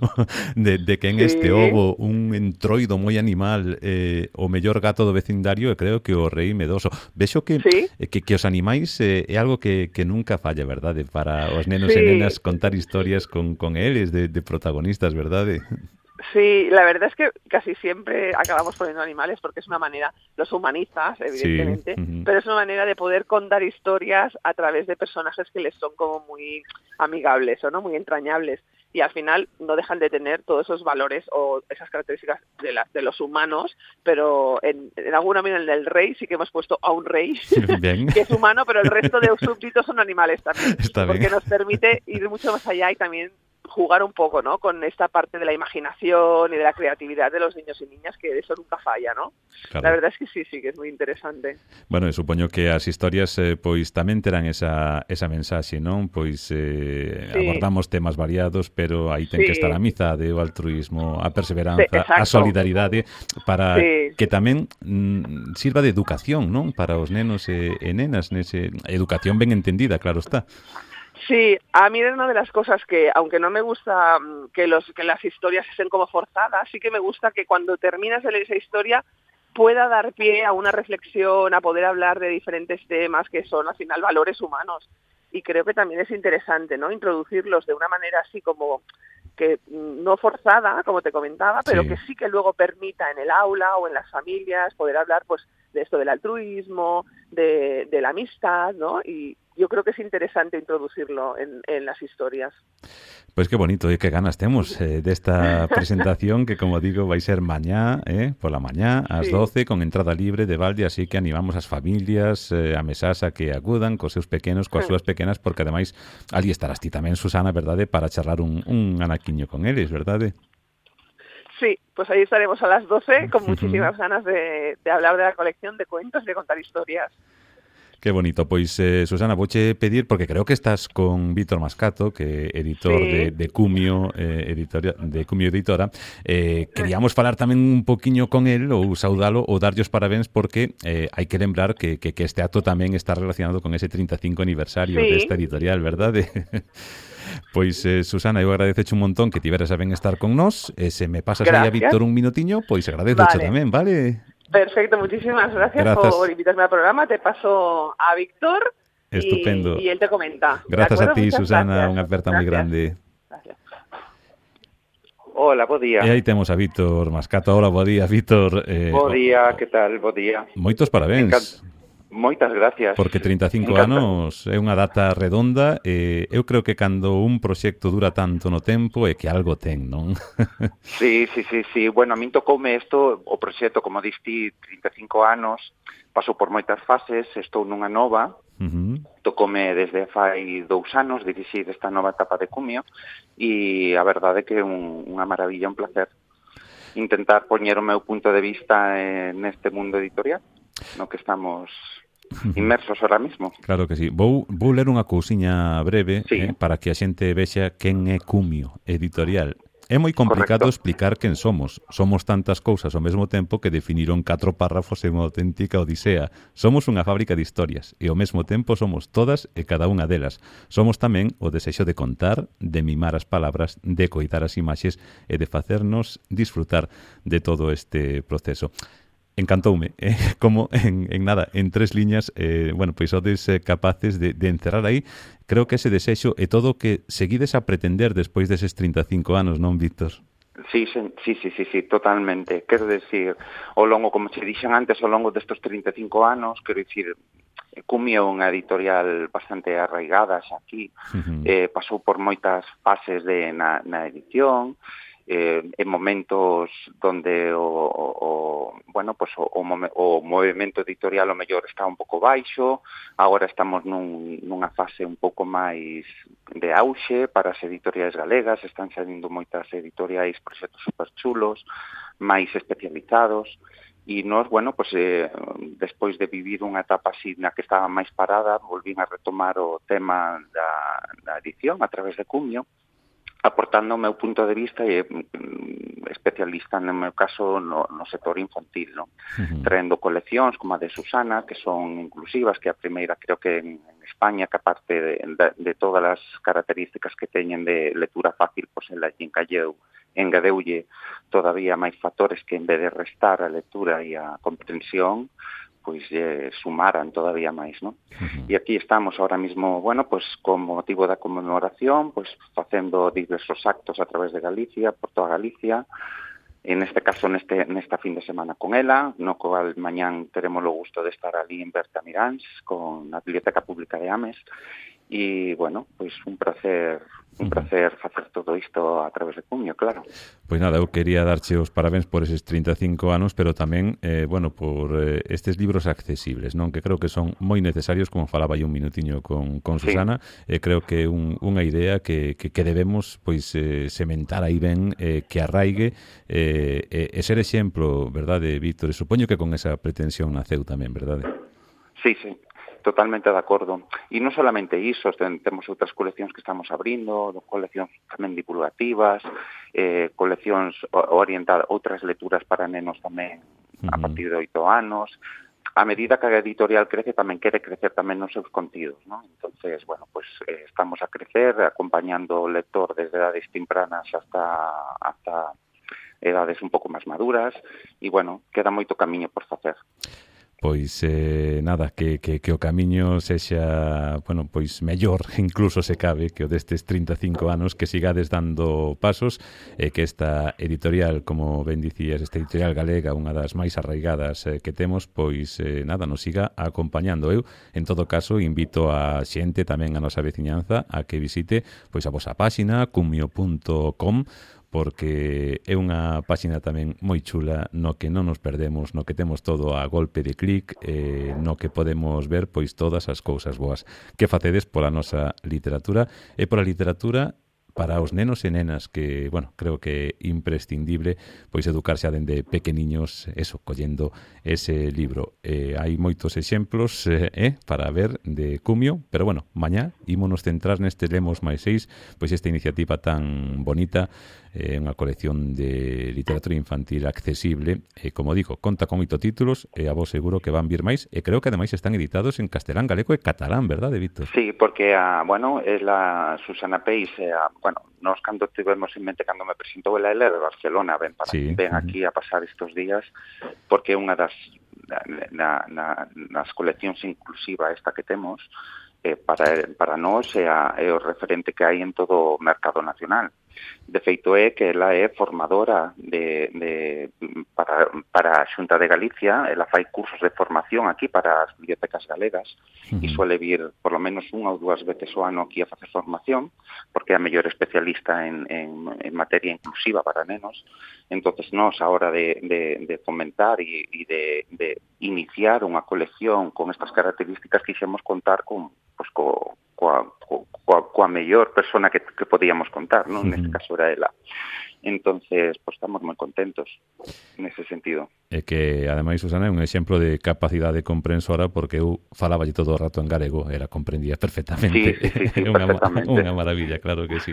A: de, de quen sí. este ovo, un entroido moi animal, eh, o mellor gato do vecindario, e creo que o rei medoso. Vexo que, sí. eh, que, que os animais eh, é algo que, que nunca falla, verdade? Para os nenos sí. e nenas contar historias con, con eles de, de protagonistas, ¿verdad?
F: Sí, la verdad es que casi siempre acabamos poniendo animales porque es una manera, los humanizas, evidentemente, sí. uh-huh. pero es una manera de poder contar historias a través de personajes que les son como muy amigables o no muy entrañables. Y al final no dejan de tener todos esos valores o esas características de, la, de los humanos, pero en, en alguna manera en el rey sí que hemos puesto a un rey que es humano, pero el resto de súbditos son animales también, Está porque bien. Nos permite ir mucho más allá y también jugar un poco, ¿no? Con esta parte de la imaginación y de la creatividad de los niños y niñas, que eso nunca falla, ¿no? Claro. La verdad es que sí, sí, que es muy interesante.
A: Bueno, e supoño que as historias eh, pois tamén terán esa, esa mensaxe, non? Pois eh, sí. abordamos temas variados, pero aí ten sí. que estar a amizade, o altruismo, a perseveranza, sí, a solidaridade, para sí. que tamén mm, sirva de educación, non? Para os nenos e, e nenas, nese educación ben entendida, claro está.
F: Sí, a mí es una de las cosas que, aunque no me gusta que, los, que las historias estén como forzadas, sí que me gusta que cuando terminas de leer esa historia pueda dar pie a una reflexión, a poder hablar de diferentes temas que son al final valores humanos. Y creo que también es interesante, ¿no? Introducirlos de una manera así como que no forzada, como te comentaba, pero sí. que sí que luego permita en el aula o en las familias poder hablar pues de esto del altruismo, de, de la amistad, ¿no? Y yo creo que es interesante introducirlo en, en las historias.
A: Pues qué bonito e que ganas temos eh, desta presentación que, como digo, vai ser mañá, eh, pola mañá, ás sí. doce, con entrada libre de balde, así que animamos as familias, eh, a mesas a que acudan cos seus pequenos, coas súas pequenas, porque ademais ali estarás ti tamén, Susana, verdade, para charlar un, un anaquiño con eles, verdade?
F: Sí, pues ahí estaremos a las doce con muchísimas ganas de, de hablar de la colección, de cuentos, de contar historias.
A: Qué bonito. Pois, eh, Susana, vouche pedir, porque creo que estás con Víctor Mascato, que é editor sí. de, de Cumio, eh, editorial, de Cumio Editora. Eh, queríamos falar tamén un poquiño con él, ou saudalo, ou darlle os parabéns, porque eh, hai que lembrar que, que, que este acto tamén está relacionado con ese treinta e cinco aniversario sí. desta editorial, verdade? Pois, eh, Susana, eu agradezoche un montón que tiveras a ben estar con nós, e se me pasas aí a Víctor un minutiño, pois agradezoche
F: Vale.
A: tamén, vale?
F: Perfecto, muchísimas gracias
A: Grazas.
F: por invitarme al programa. Te paso a Víctor y,
A: Estupendo.
F: y él te comenta. ¿De
A: Grazas a
F: acuerdo?
A: ti,
F: Muchas
A: Susana,
F: gracias.
A: unha aperta moi
F: Gracias.
A: grande.
F: Gracias.
G: Hola, bo día.
A: E aí temos a Víctor Mascata. Hola, bo día, Víctor. Eh,
G: Bo día, que tal? Bo día.
A: Moitos parabéns.
G: Encant- Moitas gracias.
A: Porque trinta e cinco
G: Encanta-
A: anos é unha data redonda e eu creo que cando un proxecto dura tanto no tempo é que algo ten, non?
G: Sí, sí, sí, sí. Bueno, a min tocoume isto, o proxecto, como diste, trinta e cinco anos, pasou por moitas fases, estou nunha nova,
A: Uh-huh.
G: tocoume desde fai dous anos dirixir esta nova etapa de Cumio e a verdade é que é un, unha maravilla, un placer intentar poñer o meu punto de vista eh, neste mundo editorial no que estamos inmersos ahora mismo.
A: Claro que sí. Vou, vou ler unha cousiña breve
G: Sí.
A: eh, para que a xente vexa quen é Cumio Editorial. É moi complicado
G: Correcto.
A: explicar quen somos. Somos tantas cousas ao mesmo tempo que definiron catro párrafos en unha auténtica odisea. Somos unha fábrica de historias e ao mesmo tempo somos todas e cada unha delas. Somos tamén o desexo de contar, de mimar as palabras, de coidar as imaxes e de facernos disfrutar de todo este proceso. Encantoume, eh, como en, en nada, en tres liñas, eh, bueno, pois sodes eh, capaces de, de encerrar aí, creo que ese desexo e todo o que seguides a pretender despois deses trinta e cinco anos, non, Víctor?
G: Sí, sí, sí, sí, sí, sí, totalmente. Quero decir, ao longo, como se dixen antes, ao longo destes trinta e cinco anos, quero dicir, Cumio é unha editorial bastante arraigada xa aquí,
A: Uh-huh.
G: eh, pasou por moitas fases de, na, na edición, eh, en momentos donde o, o, o bueno, pues o, o, momen- o movimento editorial o mellor está un pouco baixo, agora estamos nun, nunha fase un pouco máis de auxe para as editoriais galegas, están saindo moitas editoriais, proxectos superchulos, máis especializados, e nós, bueno, pues, eh, despois de vivir unha etapa así na que estaba máis parada, volvín a retomar o tema da, da edición a través de Cumio, aportando o meu punto de vista e mm, especialista no meu caso no, no sector infantil, ¿no?
A: Uh-huh.
G: Traendo coleccións como a de Susana, que son inclusivas, que a primeira creo que en, en España, que aparte de, de, de todas as características que teñen de lectura fácil, pois pues, ela encalleu, engadeulle todavía máis factores que en vez de restar a lectura e a comprensión, pois eh, sumaran todavía máis, ¿no?
A: Uh-huh.
G: E aquí estamos ahora mismo, bueno, pues con motivo da conmemoración, pues facendo diversos actos a través de Galicia, por toda Galicia, en este caso neste nesta fin de semana con ela, no cual mañán teremos o gusto de estar ali en Berta Miráns con a Biblioteca Pública de Ames e, bueno, pois un placer un placer facer todo isto a través de Cumio, claro.
A: Pois nada, eu quería darche os parabéns por eses trinta e cinco anos, pero tamén, eh, bueno, por eh, estes libros accesibles, non? Que creo que son moi necesarios, como falaba aí un minutiño con, con Susana, e sí. eh, creo que é un, unha idea que, que, que debemos, pois, eh, sementar aí ben, eh, que arraigue, eh, e, e ser exemplo, verdade, Víctor? E supoño que con esa pretensión naceu tamén, verdade?
G: Sí, sí. Totalmente de acordo. E non solamente iso, ten, temos outras coleccións que estamos abrindo, coleccións tamén divulgativas, eh, coleccións orientadas, outras lecturas para nenos tamén a partir de oito anos. A medida que a editorial crece, tamén quere crecer tamén nos seus contidos, ¿no? Entonces, bueno, pues eh, estamos a crecer, acompañando o lector desde edades tempranas hasta hasta edades un pouco máis maduras, e, bueno, queda moito camiño por facer.
A: Pois eh, nada, que, que, que o camiño sexa, bueno, pois mellor, incluso se cabe, que o destes trinta e cinco anos, que sigades dando pasos, e eh, que esta editorial, como ben dicías, esta editorial galega, unha das máis arraigadas eh, que temos, pois eh, nada, nos siga acompañando. Eu, en todo caso, invito a xente, tamén a nosa veciñanza, a que visite pois a vosa páxina, cumio punto com, porque é unha páxina tamén moi chula no que non nos perdemos, no que temos todo a golpe de clic, eh, no que podemos ver pois todas as cousas boas que facedes pola nosa literatura e pola literatura para os nenos e nenas que, bueno, creo que é imprescindible pois educarse a dende pequeniños, eso, collendo ese libro. Eh, hai moitos exemplos eh, eh, para ver de Cumio, pero bueno, mañá ímonos centrar neste Lemos máis seis, pois esta iniciativa tan bonita, é eh, unha colección de literatura infantil accesible, e eh, como digo, conta con oito títulos e a vos seguro que van vir máis, e creo que ademais están editados en castelán, galego e catalán, verdade, Víctor?
G: Sí, porque, a, bueno, é la Susana Peis, é a, bueno, nos cando tivemos en mente, cando me presentou ela, ela de Barcelona, ven, para,
A: sí.
G: ven aquí a pasar estos días, porque é unha das na, na, nas coleccións inclusiva esta que temos, eh, para, para nós é, a, é o referente que hai en todo o mercado nacional. De feito é que ela é formadora de, de, para, para a Xunta de Galicia, ela fai cursos de formación aquí para as bibliotecas galegas uh-huh. e suele vir por lo menos unha ou dúas veces ao ano aquí a facer formación, porque é a mellor especialista en, en, en materia inclusiva para nenos. Entonces nós, a hora de, de, de fomentar e, e de, de iniciar unha colección con estas características, quixemos contar con, pues, co, coa, coa, coa mellor persona que, que podíamos contar, ¿no? Uh-huh. Neste caso era ela. Entonces, pues estamos moi contentos nese sentido.
A: É que, ademais, Susana, é un exemplo de capacidade comprensora, porque eu falaba todo o rato en galego, era comprendía perfectamente.
G: Sí, sí, sí, sí
A: unha,
G: perfectamente.
A: Unha maravilla, claro que sí.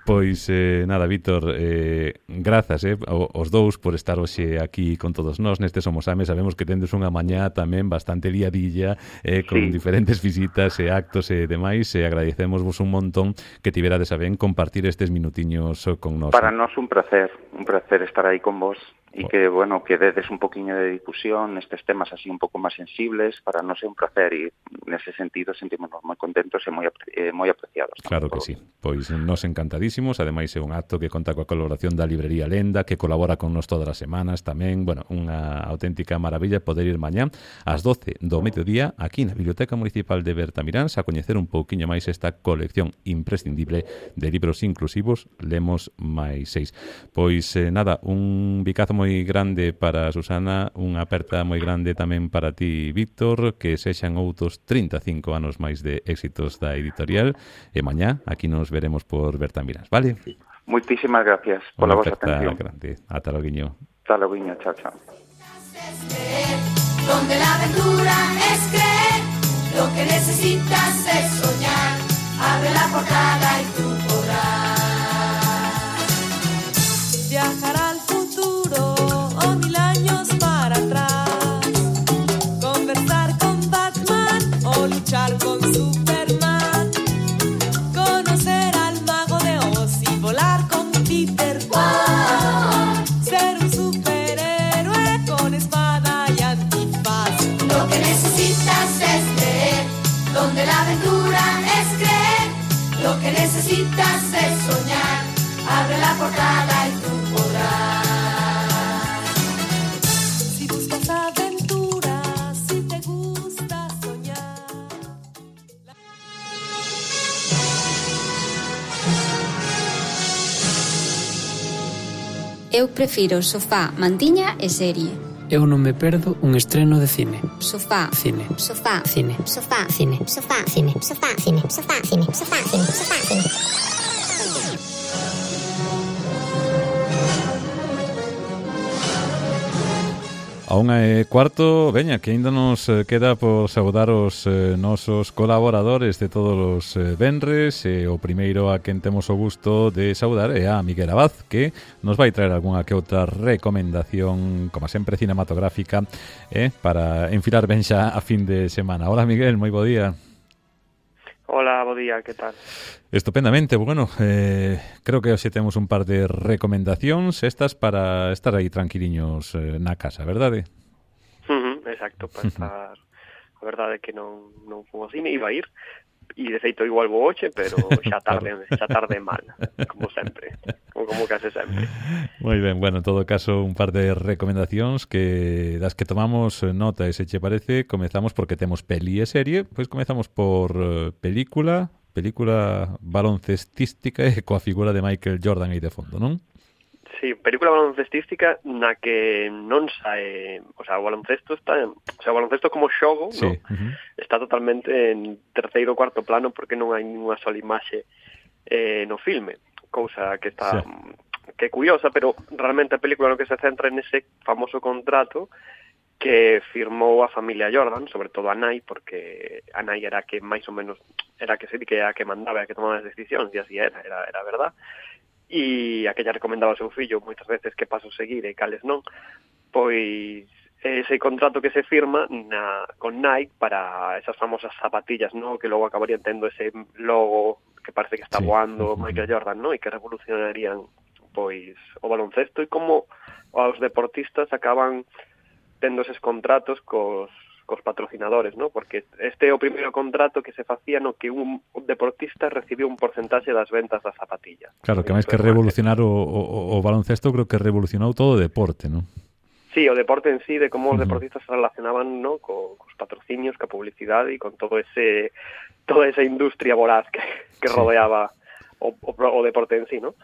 A: Pois, eh, nada, Víctor, eh, grazas eh, os dous por estar hoxe aquí con todos nós, neste Somos Ames. Sabemos que tendes unha mañá tamén bastante liadilla, eh, con sí. diferentes visitas e actos e demais, e agradecemosvos un montón que tiverades a ben compartir estes minutiños con nós.
G: Para nós un placer, un placer estar aí con vos e que, bueno, que dedes un poquinho de difusión nestes temas así un pouco máis sensibles. Para nós é un placer e nese sentido sentímonos moi contentos e moi, eh, moi apreciados.
A: Claro que sí, pois nos encantadísimos. Ademais é un acto que conta coa colaboración da Librería Lenda, que colabora con nos todas as semanas tamén. Bueno, unha auténtica maravilla poder ir mañá ás doce do mediodía aquí na Biblioteca Municipal de Bertamiráns a coñecer un pouquiño máis esta colección imprescindible de libros inclusivos Lemos máis seis. Pois eh, nada, un bicazo moi grande para Susana, unha aperta moi grande tamén para ti, Víctor, que sexan outros trinta e cinco anos máis de éxitos da editorial, e mañá aquí nos veremos por Bertamiráns, vale?
G: Moitísimas gracias pola vosa atención.
A: Grande. Ata loguiño.
G: Ata loguiño, chao, chao.
E: Donde la aventura es creer, lo que necesitas es soñar, abre la portada y tú podrás
C: viajar al futuro o mil años para atrás, conversar con Batman o luchar con Superman, conocer al mago de Oz y volar con Peter Pan, ser un superhéroe con espada y antifaz.
E: Lo que necesitas es creer, donde la aventura es creer, lo que necesitas es soñar, abre la portada y tú podrás.
C: Si buscas aventuras, si te gusta soñar.
H: Eu prefiro sofá, mantiña e serie.
I: Eu non me perdo un estreno de cine.
H: Sofá,
I: Cine.
H: sofá,
I: Cine.
H: sofá, cine, sofá, cine, sofá, cine, sofá, cine, sofá, cine, sofá, cine.
A: A unha e cuarto, veña, que ainda nos queda por saudar os eh, nosos colaboradores de todos os eh, venres, e o primeiro a quen temos o gusto de saudar é a Miguel Abad, que nos vai traer algunha que outra recomendación, como sempre, cinematográfica, eh, para enfilar ben xa a fin de semana. Hola, Miguel, moi bo día.
J: Hola, bo día, que tal?
A: Estupendamente, bueno, eh, creo que hoxe temos un par de recomendacións, estas para estar aí tranquiliños eh, na casa, verdade?
J: Uh-huh, exacto, para estar... A verdade é que non, non fomos cine, iba a ir, e de feito igual vou hoxe, pero xa tarde, xa tarde mal, como sempre, como, como case sempre.
A: Moi ben, bueno, en todo caso, un par de recomendacións que das que tomamos nota, e se che parece, comezamos porque temos peli e serie, pois comezamos por uh, película, película baloncestística e coa figura de Michael Jordan aí de fondo, non?
J: Sí, película baloncestística na que non sae, o sea, o baloncesto está, o sea, o baloncesto como xogo,
A: sí,
J: ¿no? Uh-huh. Está totalmente en terceiro ou cuarto plano porque non hai ninguna sola imaxe eh, no filme. cousa que está
A: Sí.
J: que é curiosa, pero realmente a película no que se centra nese famoso contrato que firmou a familia Jordan, sobre todo a nai, porque a nai era que máis ou menos era que se di que era a que mandaba, a que tomaba as decisións, e así era, era, era verdad. E aquella recomendaba ao seu fillo moitas veces que pasos seguir e cales non. Pois ese contrato que se firma na, con Nike para esas famosas zapatillas, ¿no? Que logo acabarían tendo ese logo que parece que está
A: Sí.
J: voando Michael Jordan, ¿no? E que revolucionarían pois o baloncesto e como os deportistas acaban tendo eses contratos cos, cos patrocinadores, ¿no? Porque este é o primeiro contrato que se facía no que un deportista recibiu un porcentaxe das ventas das zapatillas.
A: Claro, que máis que revolucionar o, o, o baloncesto, creo que revolucionou todo o deporte, non?
J: Sí, o deporte en sí, de como os
A: Uh-huh.
J: deportistas se relacionaban, ¿no? Co, cos patrocinios, ca publicidade e con todo ese toda esa industria voraz que, que
A: Sí.
J: rodeaba o, o, o deporte en sí, ¿no?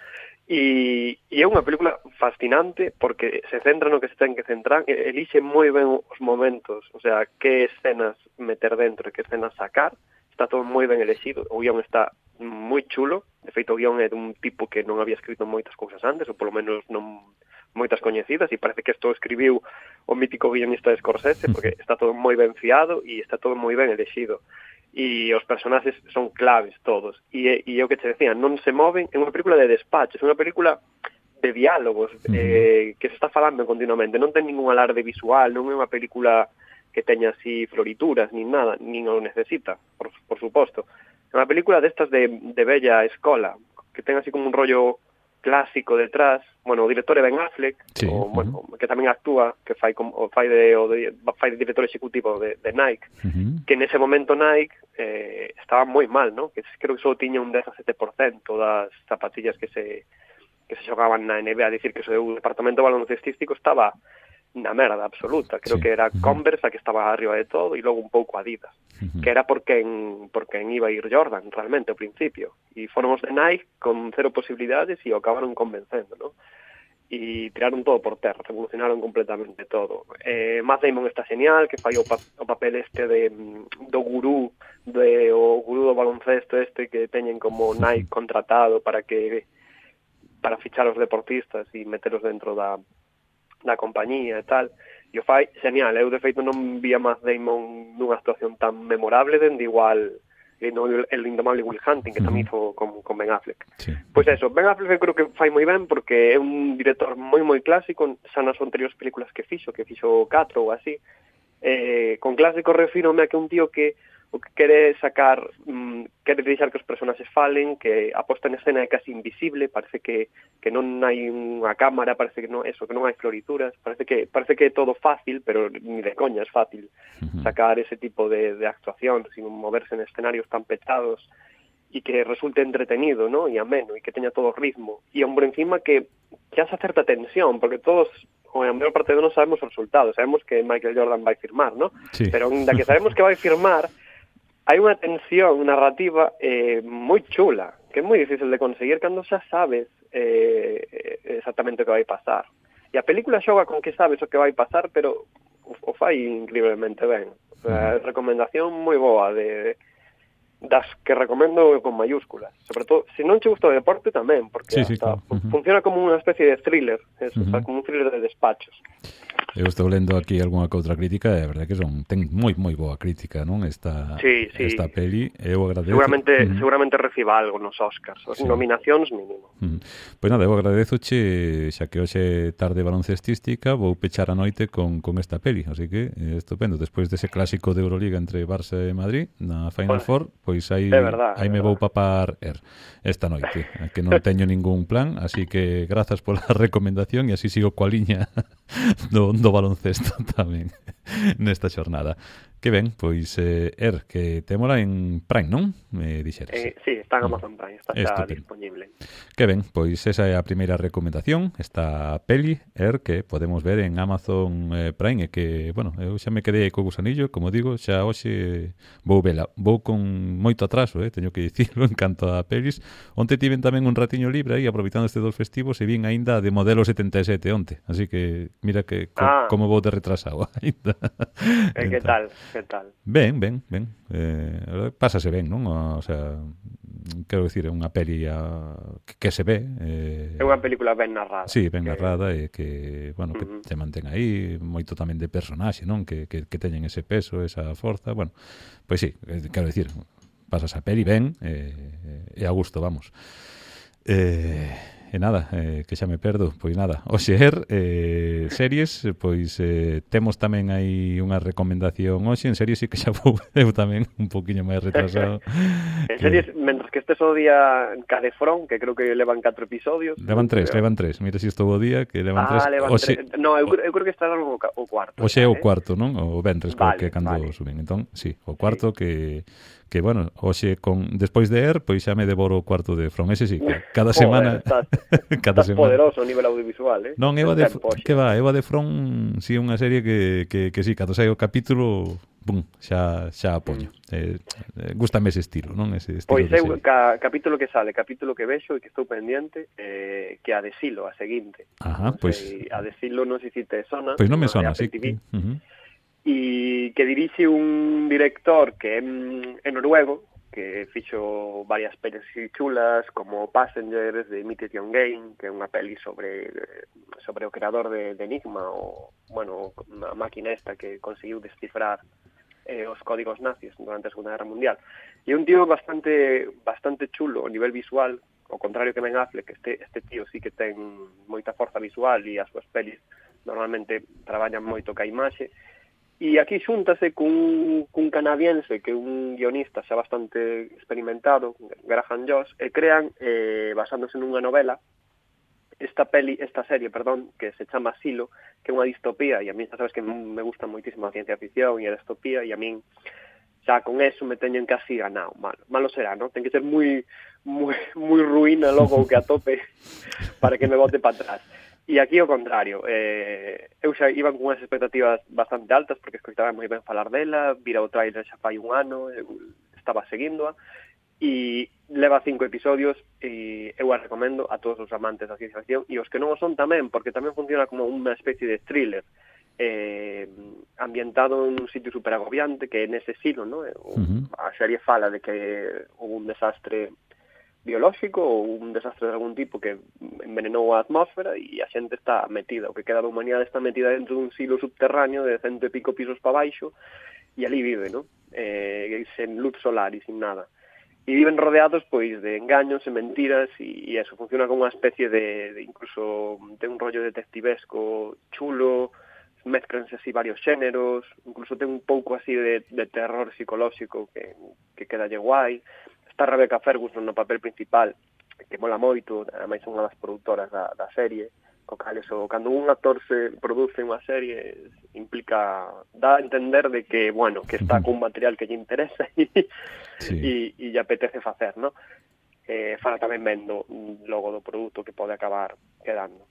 J: E, e é unha película fascinante porque se centra no que se ten que centrar, e- elixe moi ben os momentos, o sea, que escenas meter dentro e que escenas sacar, está todo moi ben elexido, o guión está moi chulo, de feito o guión é dun tipo que non había escrito moitas cousas antes, ou polo menos non moitas coñecidas, e parece que isto escribiu o mítico guionista de Scorsese, porque está todo moi ben fiado e está todo moi ben elexido. E os personaxes son claves todos. E, e o que te decía, non se moven, é unha película de despacho, é unha película de diálogos,
A: Uh-huh.
J: eh, que se está falando continuamente, non ten ningún alarde visual, non é unha película que teña así florituras, nin nada, nin o necesita, por, por suposto. É unha película destas de, de bella escola, que ten así como un rollo clásico detrás. Bueno, o director é Ben Affleck,
A: Sí,
J: o, bueno,
A: uh-huh.
J: que tamén actúa, que fai como o fai de o de, fai de director executivo de, de Nike,
A: Uh-huh.
J: que nese momento Nike eh, estaba moi mal, ¿no? Que creo que só tiña un dezasete por cento das zapatillas que se que se xogaban na N B A, a dicir que o seu departamento baloncestístico estaba na merda absoluta. Creo
A: Sí.
J: que era
A: Uh-huh.
J: Converse a que estaba arriba de todo e logo un pouco Adidas,
A: Uh-huh.
J: que era porque en, porque en iba a ir Jordan realmente ao principio. E foron os de Nike con cero posibilidades e o acabaron convencendo, ¿no? E tiraron todo por terra, revolucionaron completamente todo. Eh, Matt Damon está genial, que fai o, pa o papel este de do gurú, de o gurú do baloncesto este que teñen como Nike contratado para que para fichar os deportistas e meteros dentro da, da compañía e tal. E o fai genial. Eu, de feito, non vi a Matt Damon nunha actuación tan memorable dende igual eh, no, el indomable Will Hunting, que tamén hizo con, con Ben Affleck.
A: Sí.
J: Pois eso, Ben Affleck eu creo que fai moi ben porque é un director moi moi clásico, xa nas anteriores películas que fixo, que fixo catro ou así. Eh, con clásico refírome a que un tío que o que quere sacar, mm, quere deixar que os personaxes falen, que a posta en escena é casi invisible, parece que, que non hai unha cámara, parece que non eso, que non hai florituras, parece que parece que é todo fácil, pero ni de coña é fácil
A: Uh-huh.
J: sacar ese tipo de, de actuación sin moverse en escenarios tan pechados e que resulte entretenido, ¿no? E ameno, e que teña todo ritmo. E hombre, encima que, que hace certa tensión, porque todos, o a maior parte de nós sabemos o resultado, sabemos que Michael Jordan vai firmar, ¿no?
A: Sí.
J: Pero da que sabemos que vai firmar, hai unha tensión narrativa eh, moi chula, que é moi difícil de conseguir cando xa sabes eh, exactamente o que vai pasar. E a película xoga con que sabes o que vai pasar, pero o, o fai increíblemente ben. O sea, recomendación moi boa de das que recomendo con mayúsculas. Sobre todo, se non che gusta o deporte tamén, porque
A: Sí, sí,
J: hasta
A: claro. Uh-huh.
J: funciona como unha especie de thriller, eso,
A: Uh-huh.
J: o sea, como un thriller de despachos.
A: Eu estou lendo aquí algunha que outra crítica e é verdade que son ten moi moi boa crítica, non? Esta
J: Sí, sí.
A: esta peli, eu agradezo.
J: Seguramente,
A: Uh-huh.
J: seguramente reciba algo nos Oscars, as
A: Sí.
J: nominacións mínimo.
A: Mm. Pois nada, eu agradezoche, xa que hoxe tarde baloncestística, vou pechar a noite con, con esta peli, así que eh, estupendo. Despois dese clásico de Euroliga entre Barça e Madrid na Final
J: Pois,
A: Four, pois aí,
J: é verdad,
A: aí
J: é
A: me
J: verdad.
A: vou papar er, esta noite, que non teño ningún plan, así que grazas pola recomendación e así sigo coa liña do, do baloncesto tamén nesta xornada. Que ben, pois eh, Er, que témola en Prime, non? Me dixeras.
J: Eh, sí, está en Amazon Prime, está xa
A: Estupendo.
J: disponible.
A: Que ben, pois esa é a primeira recomendación, esta peli, Er, que podemos ver en Amazon eh, Prime, e que, bueno, eu xa me quedei co gusanillo, como digo, xa hoxe vou vela. Vou con moito atraso, eh, teño que dicirlo, en canto a pelis. Onte tiven tamén un ratiño libre aí, aproveitando estes dos festivos, e vin aínda de modelo setenta e sete onte, así que mira que co,
J: Ah.
A: como vou de retrasado aínda.
J: Eh, que tal, que tal?
A: Ben, ben, ben. Eh, pásase ben, non? O sea, quero dicir, é unha peli a, que, que se ve. Eh,
J: é unha película ben narrada.
A: Sí, ben
J: que...
A: narrada e que, bueno, que uh-huh. te mantén aí, moito tamén de personaxe, non? Que, que, que teñen ese peso, esa forza, bueno, pois sí, quero dicir, pasas a peli ben e, e a gusto, vamos. Eh... E nada, eh, que xa me perdo, pois nada. O xer, eh, series, pois eh, temos tamén aí unha recomendación hoxe. En series sí que xa vou eu tamén un poquinho máis retrasado.
J: En que... series, mentres que estes o día Cadefrón, que creo que levan catro episodios.
A: Levan tres, pero... levan tres. Mira se si estou o día, que levan
J: ah,
A: tres.
J: Ah, levan
A: oxe...
J: tres. No, eu, eu creo que está o, o cuarto.
A: Oxe é o
J: eh?
A: cuarto, non? O ventres, vale, que cando vale. suben. Entón, sí, o cuarto sí. que... que, bueno, hoxe, con despois de Er, pois xa me devoro o cuarto de From. Ese sí, que cada semana...
J: Joder, estás,
A: cada
J: estás
A: semana.
J: Poderoso a nivel audiovisual, eh?
A: Non, Eva de, que va, Eva de From, si sí, é unha serie que, que, que sí, cando sai o capítulo, bum, xa, xa apoño. Mm. Eh, eh, gústame ese estilo, non? Ese estilo
J: pois eu, ca, capítulo que sale, capítulo que vexo e que estou pendiente, eh, que a de Silo, a seguinte.
A: Ajá,
J: non
A: pois...
J: Sei, a de Silo non sei se te sona.
A: Pois non me sona, sí. Uh-huh.
J: E que dirixe un director que é, é noruego, que fixo varias pelis chulas como Passengers, de Imitation Game, que é unha peli sobre sobre o creador de, de Enigma, o, bueno, a máquina esta que conseguiu descifrar eh, os códigos nazis durante a Segunda Guerra Mundial. E un tío bastante bastante chulo a nivel visual, ao contrario que Ben Affleck, este, este tío sí que ten moita forza visual e as súas pelis normalmente traballan moito ca imaxe. E aquí xúntase cun, cun canadiense que é un guionista xa bastante experimentado, Graham Joss, e crean, eh, basándose nunha novela, esta peli, esta serie, perdón, que se chama Silo, que é unha distopía, e a mí xa sabes que me gusta moitísimo a ciencia ficción e a distopía, e a min xa con eso me teñen casi ganado. Malo, malo será, non? Ten que ser moi moi, moi ruína logo que a tope para que me bote para atrás. E aquí ao contrario, eh, eu xa iba con unhas expectativas bastante altas porque escoitaba moi ben falar dela, vira o trailer xa fai un ano, eu estaba seguíndoa, e leva cinco episodios e eu a recomendo a todos os amantes da ciencia ficción e os que non o son tamén, porque tamén funciona como unha especie de thriller eh, ambientado en un sitio super agobiante que é nese silo, ¿no? Uh-huh. A serie fala de que houve un desastre biolóxico ou un desastre de algún tipo que envenenou a atmósfera e a xente está metida, o que queda da humanidade está metida dentro dun silo subterráneo de cento e pico pisos para baixo e ali vive, ¿no? Eh, sen luz solar e sin nada. E viven rodeados pois de engaños e mentiras e, e eso funciona como unha especie de, de incluso ten un rollo detectivesco chulo, mezclanse así varios xéneros, incluso ten un pouco así de, de terror psicolóxico que, que queda lle guai. Está Rebecca Ferguson no papel principal, que mola moito, ademais unha das produtoras da, da serie, co cal eso, cando un actor se produce unha serie implica, dá a entender de que, bueno, que está con un material que lle interesa e sí. lle apetece facer, ¿no? Eh, fala tamén vendo logo do produto que pode acabar quedando.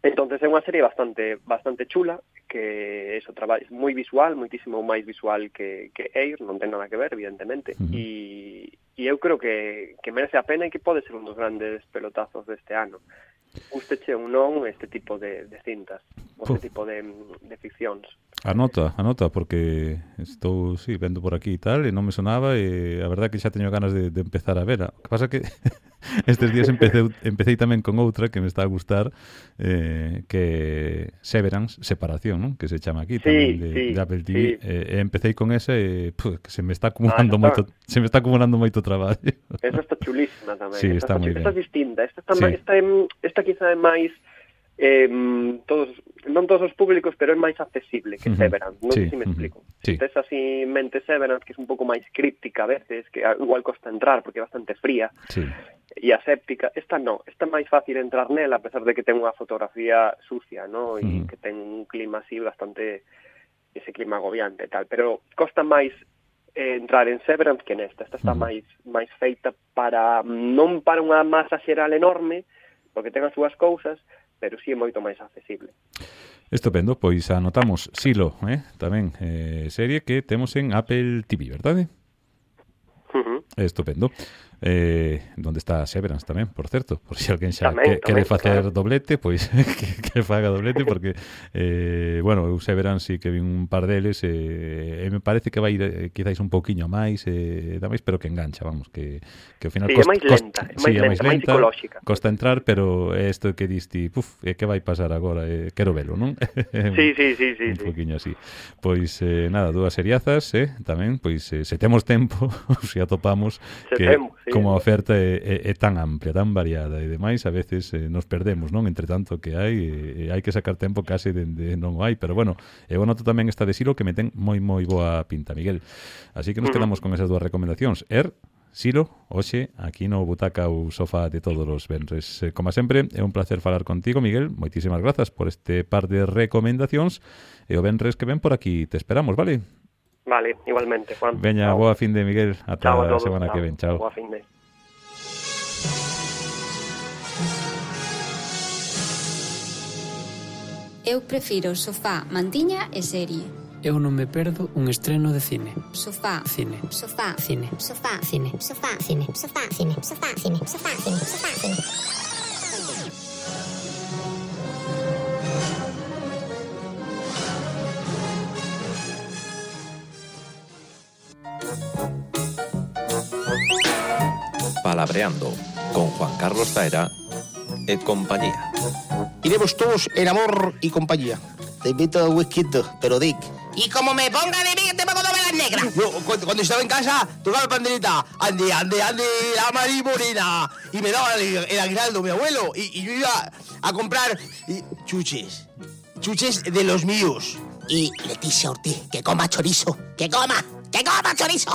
J: Entonces é unha serie bastante bastante chula, que eso traballa moi visual, moitísimo máis visual que, que Air, non ten nada que ver, evidentemente, uh-huh. e, e eu creo que, que merece a pena e que pode ser un dos grandes pelotazos deste ano. Ústeche ou non este tipo de, de cintas, ou este tipo de, de ficcións.
A: Anota, anota, porque estou, sí, vendo por aquí e tal, e non me sonaba, e a verdad que xa teño ganas de, de empezar a ver. O que pasa que estes días empecé, empecé tamén con outra que me está a gustar, eh, que Severance, Separación, ¿no? Que se chama aquí,
J: sí,
A: tamén de,
J: sí,
A: de Apple T V.
J: Sí.
A: Eh, empecé con esa e puf, que se me está acumulando ah, moito, se me está acumulando moito traballo.
J: Esa está chulísima tamén.
A: Sí, está, está moi ben.
J: Esta é distinta, esta está
A: sí.
J: máis, esta, esta quizá é máis eh, todos, non todos os públicos, pero é máis accesible que uh-huh. Severance, non
A: sí,
J: sei se me explico.
A: Uh-huh. Sí.
J: Tes así mente Severance, que é un pouco máis críptica a veces, que igual costa entrar porque é bastante fría.
A: Sí.
J: E aséptica, esta non, esta é máis fácil entrar nela a pesar de que ten unha fotografía sucia, ¿no? E uh-huh. que ten un clima así bastante, ese clima agobiante e tal, pero costa máis eh, entrar en Severance que nesta. Esta está uh-huh. máis máis feita para, non para unha masa xeral enorme, porque ten as súas cousas, pero sí é moito máis accesible.
A: Estupendo, pois anotamos Silo, eh? tamén eh, serie que temos en Apple T V, verdade?
J: Uh-huh.
A: Estupendo. eh, onde está Severance tamén, por certo, por se alguén xa
J: Tamén,
A: que, quere
J: tamén,
A: facer
J: claro.
A: doblete, pois que, que faga doblete, porque eh, bueno, eu Severance sí que vi un par deles e eh, me parece que vai ir eh, quizáis un pouquiño máis eh, máis, pero que engancha, vamos, que, que ao final
J: Sí,
A: cost,
J: é máis lenta, é máis
A: sí,
J: lenta,
A: máis
J: máis psicolóxica.
A: costa entrar, pero é isto que diste, puf, eh, que vai pasar agora, eh, quero velo, non?
J: Sí, sí, sí, sí,
A: un
J: sí.
A: poquinho así. Pois eh, nada, dúas seriazas, eh, tamén, pois eh, se temos tempo, se atopamos
J: Se
A: que
J: temos, sí.
A: como a oferta é, é, é tan amplia, tan variada e demais, a veces eh, nos perdemos, non? Entre tanto que hai, e, e hai que sacar tempo case dende non o hai, pero bueno, eu noto tamén esta de Silo que me ten moi moi boa pinta, Miguel. Así que nos
J: Uh-huh.
A: quedamos con esas dúas recomendacións. Er, Silo, hoxe, aquí no Butaca ou Sofá de todos os venres. Eh, como sempre, é un placer falar contigo, Miguel. Moitísimas grazas por este par de recomendacións e o venres que ven por aquí te esperamos, vale?
J: Vale, igualmente, Juan.
A: Veña,
J: Chao.
A: boa fin de, Miguel. Ata
J: Chao a
A: a
J: todos,
A: semana
J: chao.
A: que ven. Chao.
J: Boa fin de.
K: Eu prefiro sofá, mantiña e serie.
I: Eu non me perdo un estreno de cine.
K: Sofá,
I: Cine.
K: sofá,
I: Cine.
H: Sofá, cine, sofá, cine, sofá, cine, sofá, cine, sofá, cine, sofá, cine.
L: Palabreando con Juan Carlos Zaera e compañía.
M: Iremos todos en amor y compañía. Te invito a un whisky, pero Dick.
E: Y como me ponga de mí, te pongo novelas negras.
M: Yo, cuando, cuando estaba en casa, tocaba la pandereta. Andy, Andy, Andy, la Mari Morena. Y me daba el, el aguinaldo mi abuelo. Y, y yo iba a comprar y, chuches. Chuches de los míos.
E: Y Leticia Ortiz, que coma chorizo. Que coma, que coma chorizo.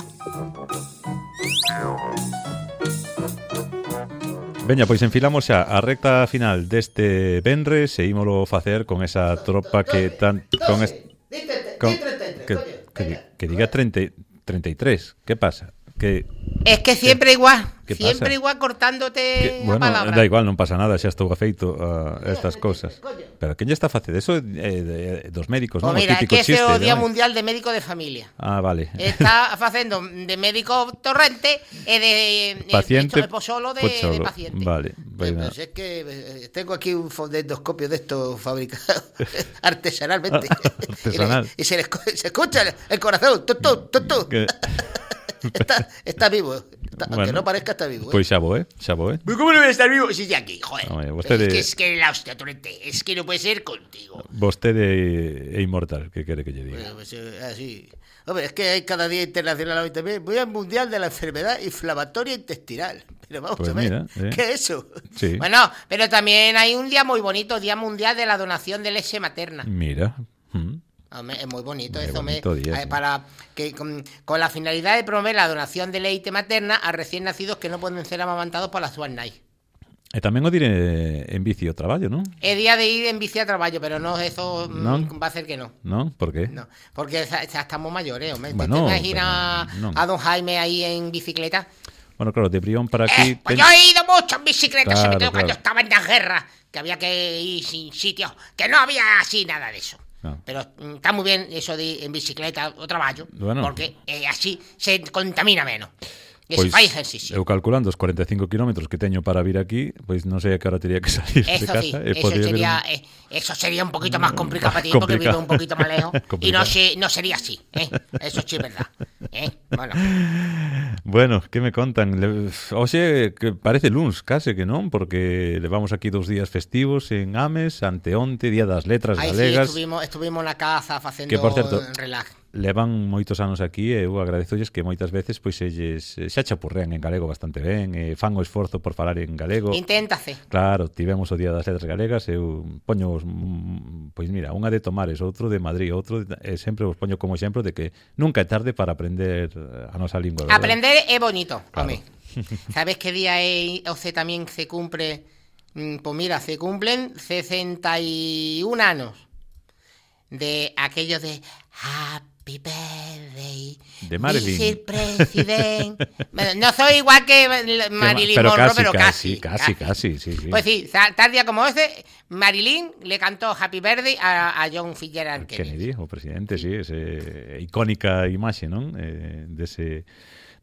A: Veña, pois enfilamos xa a recta final deste venres e ímolo facer con esa tropa que tan con es, con, que, que, que diga treinta, treinta y tres. ¿Qué pasa? Que
N: es que siempre igual, siempre
A: pasa?
N: igual cortándote
A: que,
N: la
A: bueno,
N: palabra.
A: da igual, non pasa nada, xa estou afeito a estas cousas. Pero quen lle está a facer eso? Eh, de, dos médicos,
N: Pues
A: non?
N: mira,
A: O
N: é
A: típico
N: que ese é
A: chiste,
N: o Día
A: non?
N: Mundial de Médico de Familia.
A: Ah, vale.
N: Está facendo de médico torrente e de
A: Paciente,
N: e solo de,
A: pocholo.
N: de paciente.
A: Vale, bueno.
N: Pues es que eh, tengo aquí un endoscopio de estos fabricados artesanalmente.
A: Artesanal.
N: Y, le, y se, le, se escucha el, el corazón. Tu, tu, tu, tu. Está, está vivo. Está,
A: Bueno,
N: aunque no parezca, está vivo. ¿eh?
A: Pois xa vou, eh? Xa vou, eh?
N: ¿Cómo no voy a estar vivo si estoy aquí? Joder.
A: Oye, vostede...
N: Es que es que la hostia, torrente. Es que no puede ser contigo.
A: Vostede é inmortal, que quere que lle diga?
N: Bueno, pues, eh, así. Hombre, es que hay cada día internacional hoy también. Voy al Mundial de la Enfermedad Inflamatoria Intestinal. Pero vamos
A: Pues
N: a ver,
A: mira, eh.
N: ¿qué es eso?
A: Sí.
N: Bueno, pero también hay un día muy bonito, Día Mundial de la Donación de Leche Materna.
A: Mira. Mm.
N: Hombre, es muy bonito
A: Muy
N: eso,
A: bonito
N: me,
A: día,
N: eh,
A: sí.
N: para que con, con la finalidad de promover la donación de leite materna a recién nacidos que no pueden ser amamantados por las súas nai.
A: E tamén o dire en bici o traballo, non?
N: Es día de ir en bici a trabajo, pero no, eso mm,
A: ¿No?
N: va a hacer que no.
A: Non? Por qué?
N: No, porque ya, ya estamos mayores, hombre.
A: Bueno,
N: ¿Te imaginas
A: pero no.
N: a don Jaime ahí en bicicleta?
A: Bueno, claro, de Brión para aquí...
N: Eh, pues
A: ten-
N: yo he ido mucho en bicicleta,
A: Claro,
N: sobre todo cuando
A: claro.
N: estaba en la guerra, que había que ir sin sitio, que no había así nada de eso.
A: No.
N: Pero mm, está muy bien eso de ir en bicicleta o trabajo,
A: Bueno.
N: porque eh, así se contamina menos. Y
A: Pois,
N: se fai ejercicio.
A: eu calculando os cuarenta e cinco kilómetros que teño para vir aquí, pois non sei a que hora teria que salir de
N: Eso
A: casa.
N: sí,
A: e
N: eso
A: poder ver
N: sería,
A: un-
N: eh, eso sería un poquito más complicado para ti,
A: Complicado.
N: porque vive un poquito más lejos. y no,
A: Complicado.
N: se, no sería así, ¿eh? Eso sí es verdad. ¿eh? Bueno,
A: Bueno, que me contan? Le... Oxe, que parece luns, case que non, porque levamos aquí dos días festivos en Ames, anteonte, Día das Letras
N: ahí sí
A: Galegas.
N: estuvimos, estuvimos na casa facendo
A: Que, por certo,
N: relax.
A: levan moitos anos aquí e eu agradezolles que moitas veces pois elles eh, xa chapurrean en galego bastante ben, e fan o esforzo por falar en galego.
N: Inténtase.
A: Claro, tivemos o Día das Letras Galegas, eu poño os, mm, pois mira, unha de Tomares, outro de Madrid, outro de, e sempre os poño como exemplo de que nunca é tarde para aprender a nosa lingua, verdad?
N: Aprender es bonito,
A: Claro.
N: home. ¿Sabes qué día es, o sea, también se cumple? Mm, Pues mira, se cumplen sesenta y un años de aquello de Happy Birthday,
A: De Marilyn.
N: mister President. Bueno, no soy igual que Marilyn
A: pero
N: Monroe,
A: casi,
N: pero
A: casi,
N: casi.
A: casi, casi, sí, sí.
N: Pues sí, sa- tal día como ese, Marilyn le cantó Happy Birthday a, a John Fitzgerald Kennedy.
A: Kennedy, o presidente, sí, ese icónica imaxe, non? Eh, dese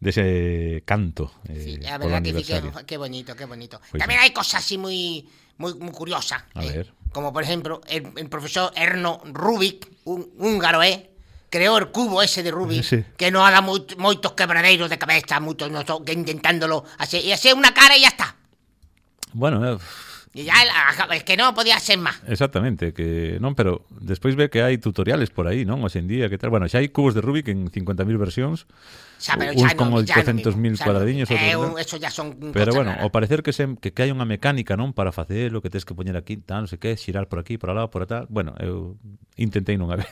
A: de ese canto. Eh,
N: sí, la
A: por
N: verdad que sí,
A: aniversario.
N: que, qué bonito, qué bonito.
A: Pues
N: También
A: sí.
N: hay cosas así muy, muy, muy curiosas.
A: A
N: eh,
A: ver.
N: Como por ejemplo, el, el profesor Erno Rubik, un húngaro, ¿eh? Creó el cubo ese de Rubik,
A: Sí.
N: que nos ha dado muy- moitos quebradeiros de cabeza, muchos nosotros que intentándolo hacer, y hacer una cara y ya está.
A: Bueno, eh,
N: Y ya es que no podía ser más.
A: exactamente, que non, pero despois ve que hai tutoriales por aí, non? Hoxe en día, que tal? Bueno, xa hai cubos de Rubik en cincuenta mil versións.
N: Xa, pero
A: Uns
N: ya
A: con
N: no, ya no
A: oitocentos mil
N: mismo, xa no
A: cuadradiños,
N: mismo.
A: outros
N: Eh,
A: non.
N: un- eso ya son
A: Pero
N: cosas
A: bueno,
N: raras.
A: ao parecer que se que, que hai unha mecánica, non, para facelo, que tens que poñer aquí, tal, non sei que, xirar por aquí, por alá, por tal. Bueno, eu intentei nunha vez,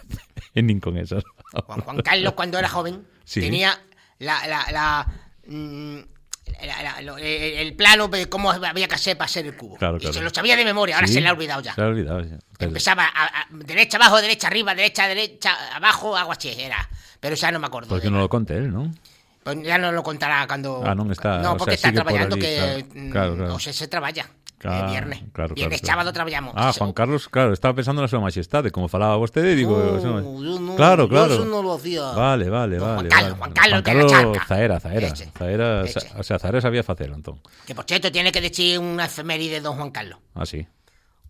A: e nin con esas.
N: Juan, Juan Carlos, cuando era joven,
A: Sí.
N: tenía la, la, la, mm, la- la- lo- el, el plano de cómo había que hacer para hacer el cubo.
A: Claro,
N: Y
A: claro.
N: se lo sabía de memoria, ahora
A: Sí,
N: se le ha olvidado ya.
A: Se le ha olvidado ya. Pero-
N: Empezaba a, a- derecha abajo, derecha arriba, derecha, derecha abajo, algo así era. Pero ya no me acuerdo.
A: Porque
N: de-
A: non lo conte él, non?
N: Pues ya no lo contará cuando...
A: Ah, non está,
N: No,
A: o
N: porque
A: sea,
N: está
A: sigue por
N: trabajando
A: allí,
N: que...
A: claro.
N: mm,
A: Claro, claro.
N: O sea, se trabaja.
A: Claro,
N: el viernes.
A: claro,
N: Viernes,
A: claro,
N: sábado
A: claro.
N: trabajamos.
A: Ah, Juan Carlos, claro, estaba pensando na súa majestade, como falaba vostede, digo...
N: No,
A: eso-
N: yo no,
A: claro,
N: yo
A: claro.
N: eso no lo hacía.
A: Vale, vale,
N: No,
A: vale.
N: Juan Carlos,
A: vale.
N: Juan Carlos,
A: Juan
N: que era
A: Carlos
N: charca.
A: Zaera, Zaera.
N: Ese,
A: Zaera,
N: ese.
A: sa- o sea, Zaera sabía facelo, entón.
N: Que por cierto, tiene que decir una efeméride de don Juan Carlos.
A: Ah, sí.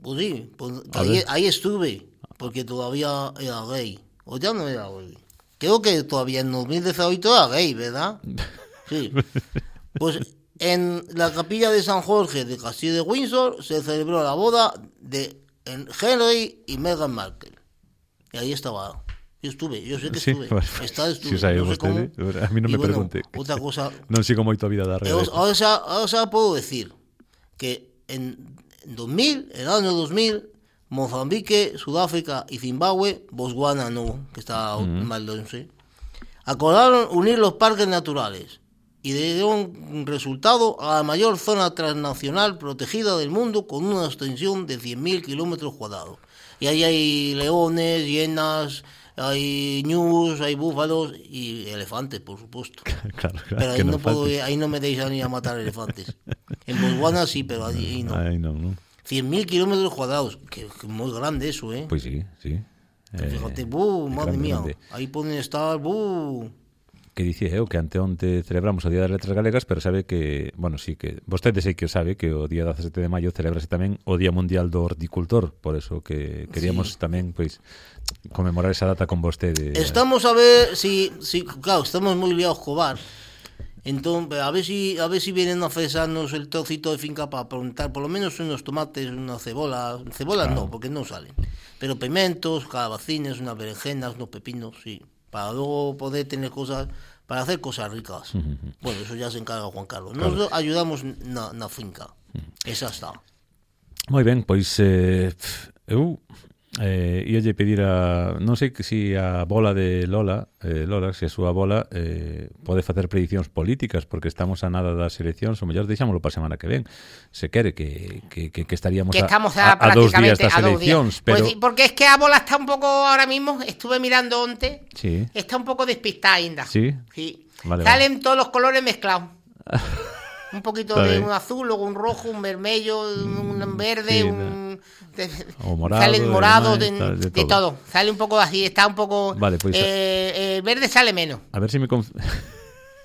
O: Pues sí, pues
A: A
O: ahí,
A: ver.
O: ahí estuve, porque todavía era gay. O ya no era gay. Creo que todavía en dos mil dieciocho era gay, ¿verdad? Sí. Pues en la capilla de San Jorge de Castillo de Windsor se celebró la boda de Henry y Meghan Markle. Y ahí estaba. Yo estuve, yo sé que
A: Sí,
O: estuve.
A: bueno,
O: Está,
A: si
O: estuve.
A: sabe
O: no sé
A: vostede,
O: cómo.
A: a mí non
O: Y
A: me
O: bueno,
A: pregunte.
O: Otra cosa.
A: Non sigo moito a vida da rede.
O: Ahora, ahora xa, ahora xa puedo decir que en, en dos mil, el año dos mil, Mozambique, Sudáfrica y Zimbabue, Botswana no, que está
A: Ujú.
O: mal no sé, acordaron unir los parques naturales y dieron un resultado a la mayor zona transnacional protegida del mundo con una extensión de cien mil kilómetros cuadrados. Y ahí hay leones, hienas, hay ñus, hay búfalos y elefantes, por supuesto.
A: Claro, claro,
O: Pero ahí
A: que
O: no,
A: non
O: puedo,
A: falte.
O: ahí no me dejan ir a matar elefantes. En Botswana sí, pero ahí, ahí no.
A: Aí non, non.
O: cien mil kilómetros cuadrados, que, que muy grande eso, ¿eh?
A: Pois sí, sí.
O: Que
A: Eh,
O: fíjate, buh, madre
A: grande,
O: mía,
A: grande.
O: ahí pueden estar, buh.
A: Que dicía eu que anteonte celebramos o Día das Letras Galegas, pero sabe que, bueno, sí que vostede sei que o sabe que o día dezasete de maio celebrase tamén o Día Mundial do Horticultor, por eso que queríamos
O: Sí.
A: tamén pois conmemorar esa data con vostede.
O: Estamos a ver si, si claro, estamos muy liados con bar. Entonces, a ver si a ver si vienen a ofrecernos el trocito de finca para preguntar por lo menos unos tomates, una cebola, cebolas
A: Claro.
O: no, porque no salen. Pero pimentos, calabacines, unas berenjenas, unos pepinos, sí, para luego poder tener cosas, para hacer cosas ricas.
A: Ujú.
O: Bueno, eso ya se encarga Juan Carlos.
A: Claro.
O: Nosotros ayudamos na, na finca. Esa está.
A: Moi ben, pois eh, pf, eu eh, ialle pedir a non sei que si a bola de Lola eh, Lola, se a súa bola eh, pode facer predicións políticas porque estamos a nada das eleccións, o mellor deixámoslo para a semana que ven se quere que, que, que, que estaríamos
N: Que
A: a,
N: estamos
A: a,
N: a,
A: a dos días
N: prácticamente
A: das
N: a dos
A: eleccións
N: días.
A: pero
N: Pues sí, porque es que a bola está un poco ahora mismo, estuve mirando onte,
A: sí,
N: está un poco despistada ainda.
A: sí,
N: Sí.
A: vale, vale.
N: Salen todos los colores mezclados. Un poquito
A: Está
N: de
A: bien.
N: un azul, luego un rojo, un vermello, un verde,
A: sí,
N: un... de-
A: o morado,
N: sale morado, de,
A: demais, tal, de
N: de
A: todo.
N: todo. Sale un poco así, está un poco...
A: Vale, pues-
N: eh, eh, verde sale menos.
A: a ver si me conf...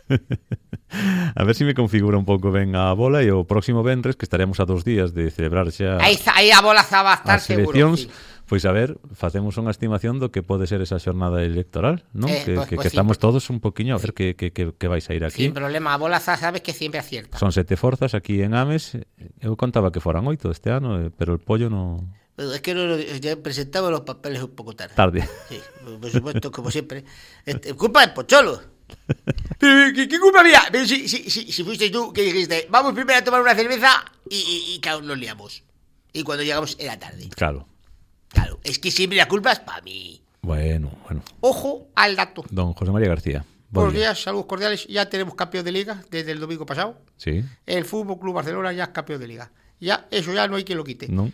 A: a ver si me configura un pouco ben a bola e o próximo venres que estaremos a dos días de celebrar xa
N: Ahí, está- ahí a bola se va a estar
A: as
N: seguro.
A: eleccións,
N: Sí.
A: pois a ver, facemos unha estimación do que pode ser esa xornada electoral, non?
N: Eh,
A: que,
N: pues-
A: que,
N: pues
A: que
N: sí,
A: estamos todos un poquinho a ver que, que, que, que vai sair aquí.
N: Sin problema, a bola sa- sabes que siempre acierta.
A: Son sete forzas aquí en Ames. Eu contaba que foran oito este ano, eh, pero el pollo no...
O: Pero es que no, lo- ya presentaba los papeles un poco tarde.
A: Tarde.
O: Sí, por supuesto, como siempre. Este, culpa del Pocholo.
N: Pero, ¿Qué, qué culpa mía? Pero si, si, si, si fuiste tú que dijiste, vamos primero a tomar una cerveza y, y, y claro, nos liamos. Y cuando llegamos era tarde.
A: Claro.
N: Claro, es que siempre la culpa es para mí.
A: Bueno, bueno.
N: Ojo al dato.
A: Don José María García.
N: Buenos
A: Buen día.
N: días, saludos cordiales. Ya tenemos campeón de liga desde el domingo pasado.
A: Sí,
N: El Fútbol Club Barcelona ya es campeón de liga. Ya, eso ya no hay quien lo quite.
A: non?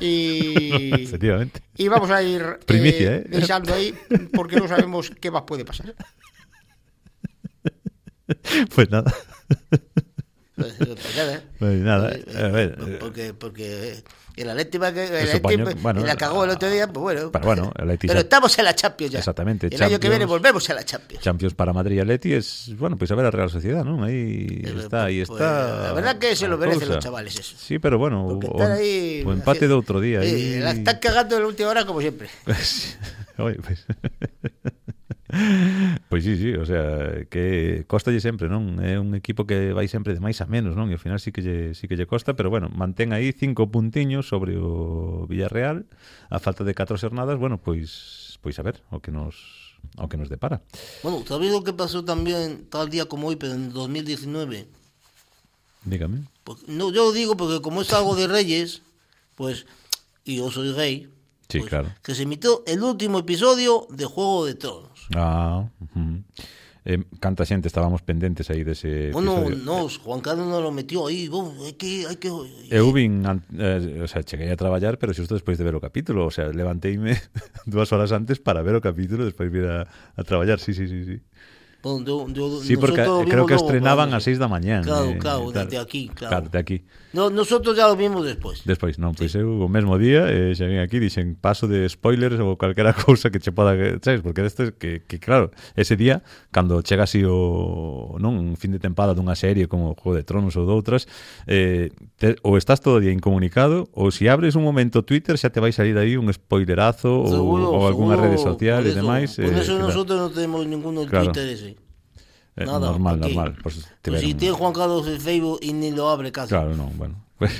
N: Y,
A: Efectivamente.
N: y vamos a ir
A: Primicia,
N: eh,
A: ¿eh?
N: deixando ahí porque no sabemos qué más puede pasar.
A: Pues nada.
O: Pues, pues nada.
A: Pues nada,
O: Eh,
A: a ver,
O: eh,
A: eh.
O: Porque, porque El Atleti va que el
A: Eso,
O: Atleti,
A: paño, bueno,
O: la cagó el otro día, pues bueno.
A: Pero bueno, el Atleti
O: Pero
A: xa-
O: estamos en la Champions ya.
A: Exactamente.
O: El año que viene volvemos a la Champions.
A: Champions para Madrid y Atleti es, bueno, pues a ver a Real Sociedad, ¿no? Ahí está, ahí
O: Pues,
A: está.
O: la verdad que se lo
A: a
O: merecen
A: cousa.
O: los chavales eso.
A: Sí, pero bueno, o,
O: están ahí
A: o empate de outro día.
O: Sí,
A: ahí...
O: la están cagando en la última hora como siempre.
A: Oye, pues... Pois sí, sí, o sea, que costalle sempre, non? É un equipo que vai sempre de máis a menos, non? E ao final sí que lle, sí que lle costa, pero bueno, mantén aí cinco puntiños sobre o Villarreal, a falta de catro xornadas, bueno, pois pois a ver, o que nos o que nos depara.
O: Bueno, ¿sabéis lo que pasó también tal día como hoy, pero en dos mil diecinueve?
A: Dígame.
O: Pues, no, yo lo digo porque como es algo de Reyes, pues, y yo soy rey,
A: Sí,
O: pues,
A: claro.
O: que se emitió el último episodio de Juego de Tronos.
A: Ah, uh-huh. eh, canta xente estábamos pendentes aí dese
O: Bueno,
A: episodio.
O: no, Juan Carlos no lo metió ahí, oh, hay que... Hay que...
A: Eu vin, eh, o sea, cheguei a traballar, pero xusto despois de ver o capítulo, o sea, levanteime dúas horas antes para ver o capítulo, despois vir a, a traballar, sí, sí, sí, sí.
O: Bueno, yo, yo,
A: Sí, porque
O: nosotros
A: creo
O: vimos
A: que
O: luego,
A: estrenaban
O: bueno,
A: a seis da mañán.
O: Claro,
A: eh,
O: claro,
A: tal.
O: desde aquí, claro.
A: Claro, de aquí.
O: No, nosotros ya lo vimos después.
A: Despois, non, pois eu o mesmo día eh, xa vin aquí, dixen paso de spoilers ou calquera cousa que che poda, sabes, porque destes que, que claro, ese día cando chega así o non un fin de tempada dunha serie como Juego de Tronos ou doutras, eh, te, ou estás todo o día incomunicado ou se si abres un momento Twitter xa te vai salir aí un spoilerazo ou,
O: Seguro,
A: ou algunha
O: seguro,
A: rede social e
O: por eso,
A: demais.
O: Por
A: eh,
O: eso
A: que
O: nosotros no tenemos ninguno en
A: Claro.
O: Twitter ese.
A: Eh,
O: Nada,
A: normal,
O: aquí.
A: normal. Pues,
O: Pues si tiene Juan Carlos en Facebook y ni lo abre casi.
A: Claro, non, bueno. Pues,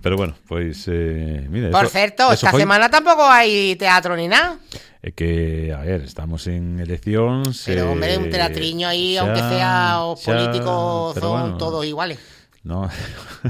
A: pero bueno, pois pues, eh, mira,
N: Por
A: eso,
N: cierto,
A: eso
N: esta
A: foi...
N: semana tampouco hai teatro ni nada.
A: É que, a ver, estamos en eleccións.
N: Pero,
A: eh,
N: hombre, un teatriño aí,
A: xa,
N: aunque sea os
A: xa,
N: políticos
A: pero
N: son
A: bueno,
N: todos iguales.
A: No,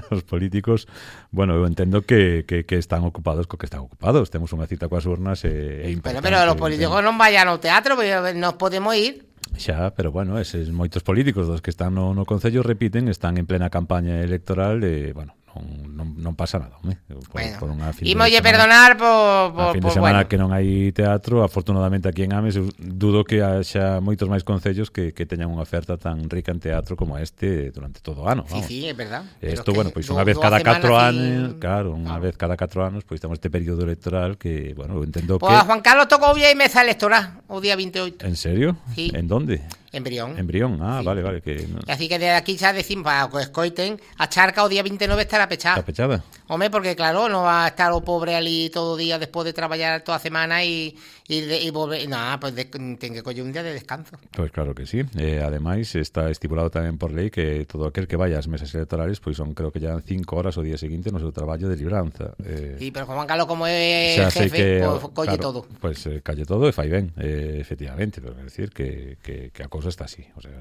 A: os políticos, bueno, eu entendo que, que, que están ocupados co que están ocupados. Temos unha cita coas urnas e, e
N: Pero,
A: importante.
N: pero los políticos non vayan ao teatro, porque nos podemos ir.
A: Xa, pero bueno, eses moitos políticos dos que están no, no Concello repiten, están en plena campaña electoral e, bueno, non, non, non pasa nada, home. Por,
N: Bueno,
A: por unha fin
N: Imos
A: de
N: lle
A: semana-
N: perdonar por,
A: A
N: por,
A: fin de
N: por
A: semana
N: bueno.
A: que non hai teatro, afortunadamente aquí en Ames, eu dudo que haxa moitos máis concellos que, que teñan unha oferta tan rica en teatro como este durante todo o ano.
N: Sí,
A: Vamos.
N: sí, é verdad.
A: Isto,
N: Pero
A: bueno,
N: que
A: pois
N: do-
A: unha vez
N: dúas
A: cada catro
N: semanas
A: anos,
N: sin-
A: claro, unha vez cada catro anos, pois temos este período electoral que, bueno, eu entendo
N: Pois
A: que...
N: a Juan Carlos tocou ya mesa electoral o día veintiocho.
A: En serio?
N: Sí.
A: En donde?
N: En Brión.
A: En Brión, ah, vale, vale, que no,
N: Así que desde aquí xa decimos, para que escoiten, a Charca o día veintinueve estará pechada.
A: está pechada.
N: Hombre, porque claro, no va a estar o pobre ali todo o día despois de traballar toda a semana e, e, de, e volver... Nah, pues de, ten que coller un día de descanso.
A: Pois claro que sí. Eh, ademais, está estipulado tamén por lei que todo aquel que vaya ás mesas electorales, pois son, creo que ya cinco horas o día seguinte no seu traballo de libranza. Eh,
N: Sí, pero Juan Carlos, como é
A: xa sei
N: jefe,
A: que,
N: pues, colle
A: claro,
N: todo.
A: Pois eh, calle todo e fai ben, eh, efectivamente, pero é decir que, que, que a cousa está así, o sea,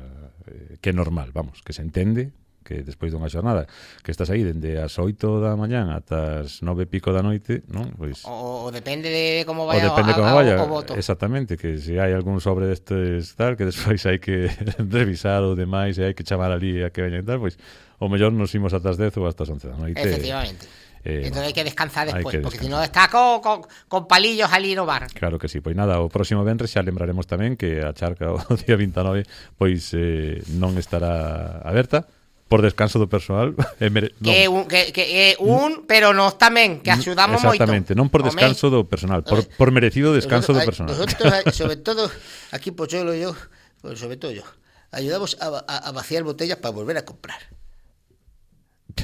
A: eh, que é normal, vamos, que se entende que despois dunha xornada que estás aí dende as oito da mañán ata as nove e pico da noite, non? Pois
N: O, o depende de como
A: o
N: vaya
A: depende
N: a,
A: como
N: a,
A: vaya,
N: o voto.
A: exactamente, que se hai algún sobre destes tal, que despois hai que revisar o demais e hai que chamar ali a que veñan tal, pois o mellor nos imos ata as dez ou hasta as once da noite.
N: Efectivamente.
A: Eh,
N: Entonces hay que descansar
A: hay
N: después,
A: que
N: porque si
A: descansar.
N: no está con, con, con palillos ali no bar.
A: Claro que sí, pois nada, o próximo venres xa lembraremos tamén que a charca o día veintinueve pois eh, non estará aberta por descanso do personal. E mere...
N: Que é un, que, que é un pero nos tamén, que axudamos moito.
A: Exactamente, non por descanso do personal, por, por merecido descanso do
O: Nosotros,
A: personal.
O: nosotros, sobre todo, aquí Pocholo y yo, pues sobre todo yo, ayudamos a, a, a vaciar botellas para volver a comprar.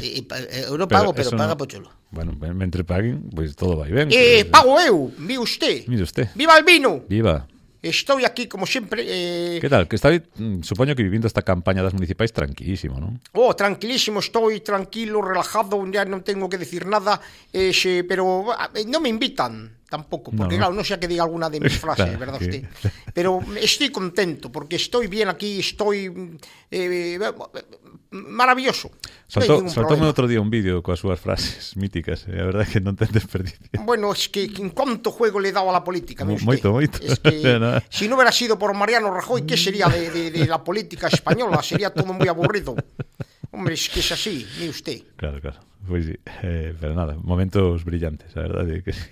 O: Y, y, pa- eu non pago, pero,
A: eso
O: paga
A: no-
O: Pocholo.
A: Bueno, mentre paguen, pois todo vai ben.
N: E
A: Pois,
N: pago eu, vi usted.
A: Mire usted.
N: Viva el vino.
A: Viva.
N: Estoy aquí como sempre. Eh...
A: Que tal? Que está, mm, supoño que vivindo esta campaña das municipais tranquilísimo, non?
N: Oh, tranquilísimo, estoy tranquilo, relajado, ya no tengo que decir nada, eh, sí, pero eh, no me invitan tampoco, porque
A: No.
N: claro, no sé a que diga alguna de mis frases,
A: Claro,
N: ¿verdad
A: que-
N: usted? Pero estoy contento, porque estoy bien aquí, estoy eh, maravilloso. No hay
A: Soltou,
N: ningún
A: soltoume
N: problema.
A: outro día un vídeo coas súas frases míticas, e a verdade é que non ten desperdicio.
N: Bueno, es que en cuánto juego le he dado a la política,
A: Mo-
N: mire
A: moito,
N: usted.
A: moito.
N: Es que
A: Nada.
N: si no hubiera sido por Mariano Rajoy, ¿qué sería de, de- de la política española? Sería todo muy aburrido. Hombre, es que es así, mire usted.
A: Claro, claro. Pois sí. Eh, pero nada, momentos brillantes, a verdade é que sí.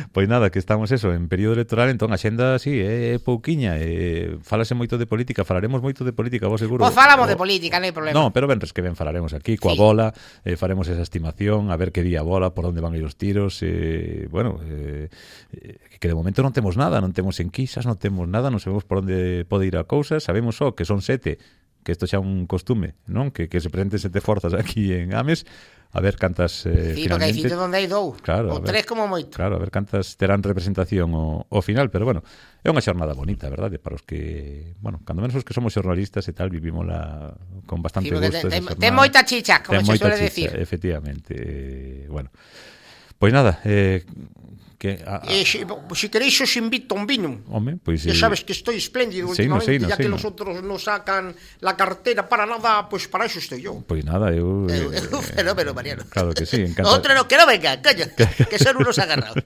A: Pois nada, que estamos eso, en período electoral, entón a xenda, sí, é pouquiña, eh, falase moito de política, falaremos moito de política, vos seguro.
N: Pois falamos
A: o...
N: de política, non hai problema.
A: No, pero venres que ben falaremos aquí, coa sí. bola, eh, faremos esa estimación, a ver que día bola, por onde van ir os tiros, eh, bueno, eh, que de momento non temos nada, non temos enquisas, non temos nada, non sabemos por onde pode ir a cousa, sabemos só que son sete, que isto xa é un costume, non? Que, que se presenten sete forzas aquí en Ames, a ver cantas eh,
N: sí,
A: finalmente...
N: porque hai sitios onde hai dous,
A: claro,
N: ou
A: ver,
N: tres como moito.
A: Claro, a ver cantas terán representación o, o final, pero bueno, é unha xornada bonita, verdade? Para os que, bueno, cando menos os que somos xornalistas e tal, vivimosla con bastante sí, gusto.
N: Ten, ten moita chicha, como se suele decir.
A: Efectivamente, eh, bueno. Pois nada, eh... Que a, a...
N: Eh, si, si queréis os invito a un vino.
A: Home, pues,
N: ya sabes que estoy espléndido
A: sí,
N: últimamente,
A: no, sí, no,
N: ya
A: sí,
N: que
A: no.
N: los otros no sacan la cartera para nada, pues para eso estoy yo.
A: Pues nada, eu...
N: Eh, eh, un fenómeno, Mariano.
A: Claro que sí, encantado.
N: Otro no, que no venga, coño, que son unos agarrados.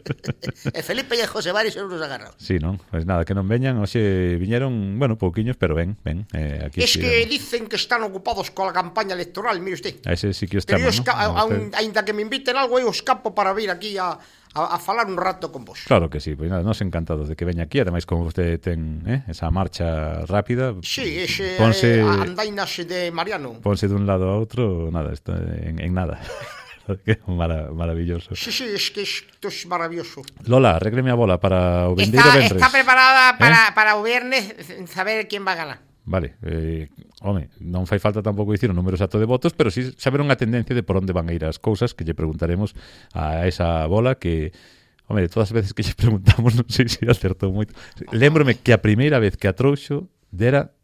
N: Felipe y José Mari son unos agarrados.
A: Sí, non, pues nada, que non veñan, oxe, viñeron, bueno, pouquiños, pero ven, ven. Eh, aquí
N: es que dicen que están ocupados con la campaña electoral, mire usted.
A: A ese sí que
N: estamos, pero yo
A: ¿no?
N: esca- no, aun, ainda que me inviten algo, eu escapo para vir aquí a... A, a falar un rato con vos.
A: Claro que sí, pois pues nada, nos encantados de que veña aquí, ademais como vostede ten eh, esa marcha rápida.
N: Sí, ese
A: ponse,
N: eh, andainas de Mariano.
A: Ponse de un lado a outro, nada, esto en, en nada. Que Mara, maravilloso.
N: Sí, sí, es que esto es maravilloso.
A: Lola, arrégleme a bola para o vindeiro
N: está,
A: venres.
N: Está preparada para,
A: ¿Eh?
N: para o viernes saber quién va a ganar.
A: Vale, eh, home, non fai falta tampouco dicir o número exacto de votos, pero sí saber unha tendencia de por onde van a ir as cousas, que lle preguntaremos a esa bola que, home, de todas as veces que lle preguntamos non sei se acertou moito. Lémbrome que a primeira vez que a trouxo dera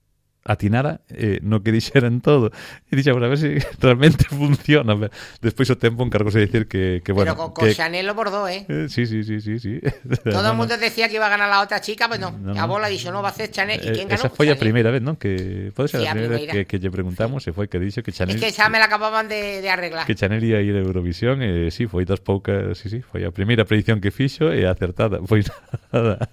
A: atinara eh, no que dixeran todo e dixemos a ver se realmente funciona. Despois o tempo encargose de dicir que, que bueno,
N: pero con, con
A: que...
N: Chanel lo bordó, ¿eh?
A: eh sí, sí, sí, sí, sí.
N: Todo no, el mundo no. decía que iba a ganar la otra chica, pues no,
A: no,
N: la
A: no.
N: bola dixo, no, va a ser Chanel. ¿Y quién
A: eh,
N: ganó?
A: Esa foi
N: Chanel.
A: a primeira vez, non? Que pode ser sí, a primeira vez que, que lle preguntamos sí. E foi que dixo que Chanel...
N: Es que esa me la acababan de, de arreglar.
A: Que Chanel ia ir a Eurovisión e sí, foi das poucas, sí, sí, foi a primeira predicción que fixo e acertada. Pois nada.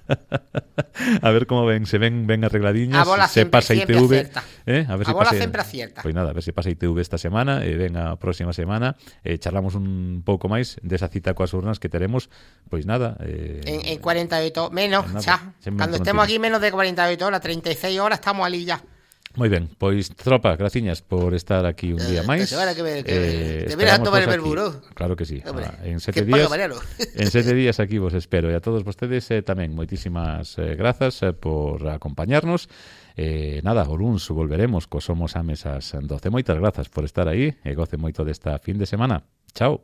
A: A ver como ven, se ven ben arregladiñas, se
N: sempre,
A: pasa I T V, eh, a ver
N: a
A: se
N: bola
A: pase,
N: sempre acierta.
A: Pois nada, a ver se pasa I T V esta semana e ven a próxima semana e eh, charlamos un pouco máis desa cita coas urnas que teremos, pois nada, eh,
N: en, en cuarenta y ocho menos, xa, cando estemos aquí menos de cuarenta y ocho horas, treinta y seis horas estamos ali ya.
A: Moi ben, pois tropa, graciñas por estar aquí un día máis.
N: Eh, que ver, que
A: eh,
N: te verás a tomar el verburo.
A: Claro que sí.
N: Hombre,
A: ah, en sete días. En sete días aquí vos espero e a todos vostedes eh, tamén moitísimas eh, grazas eh, por acompañarnos. Eh, nada, o luns volveremos co Somos Ames ás doce. Moitas grazas por estar aí e goce moito desta fin de semana. Chao.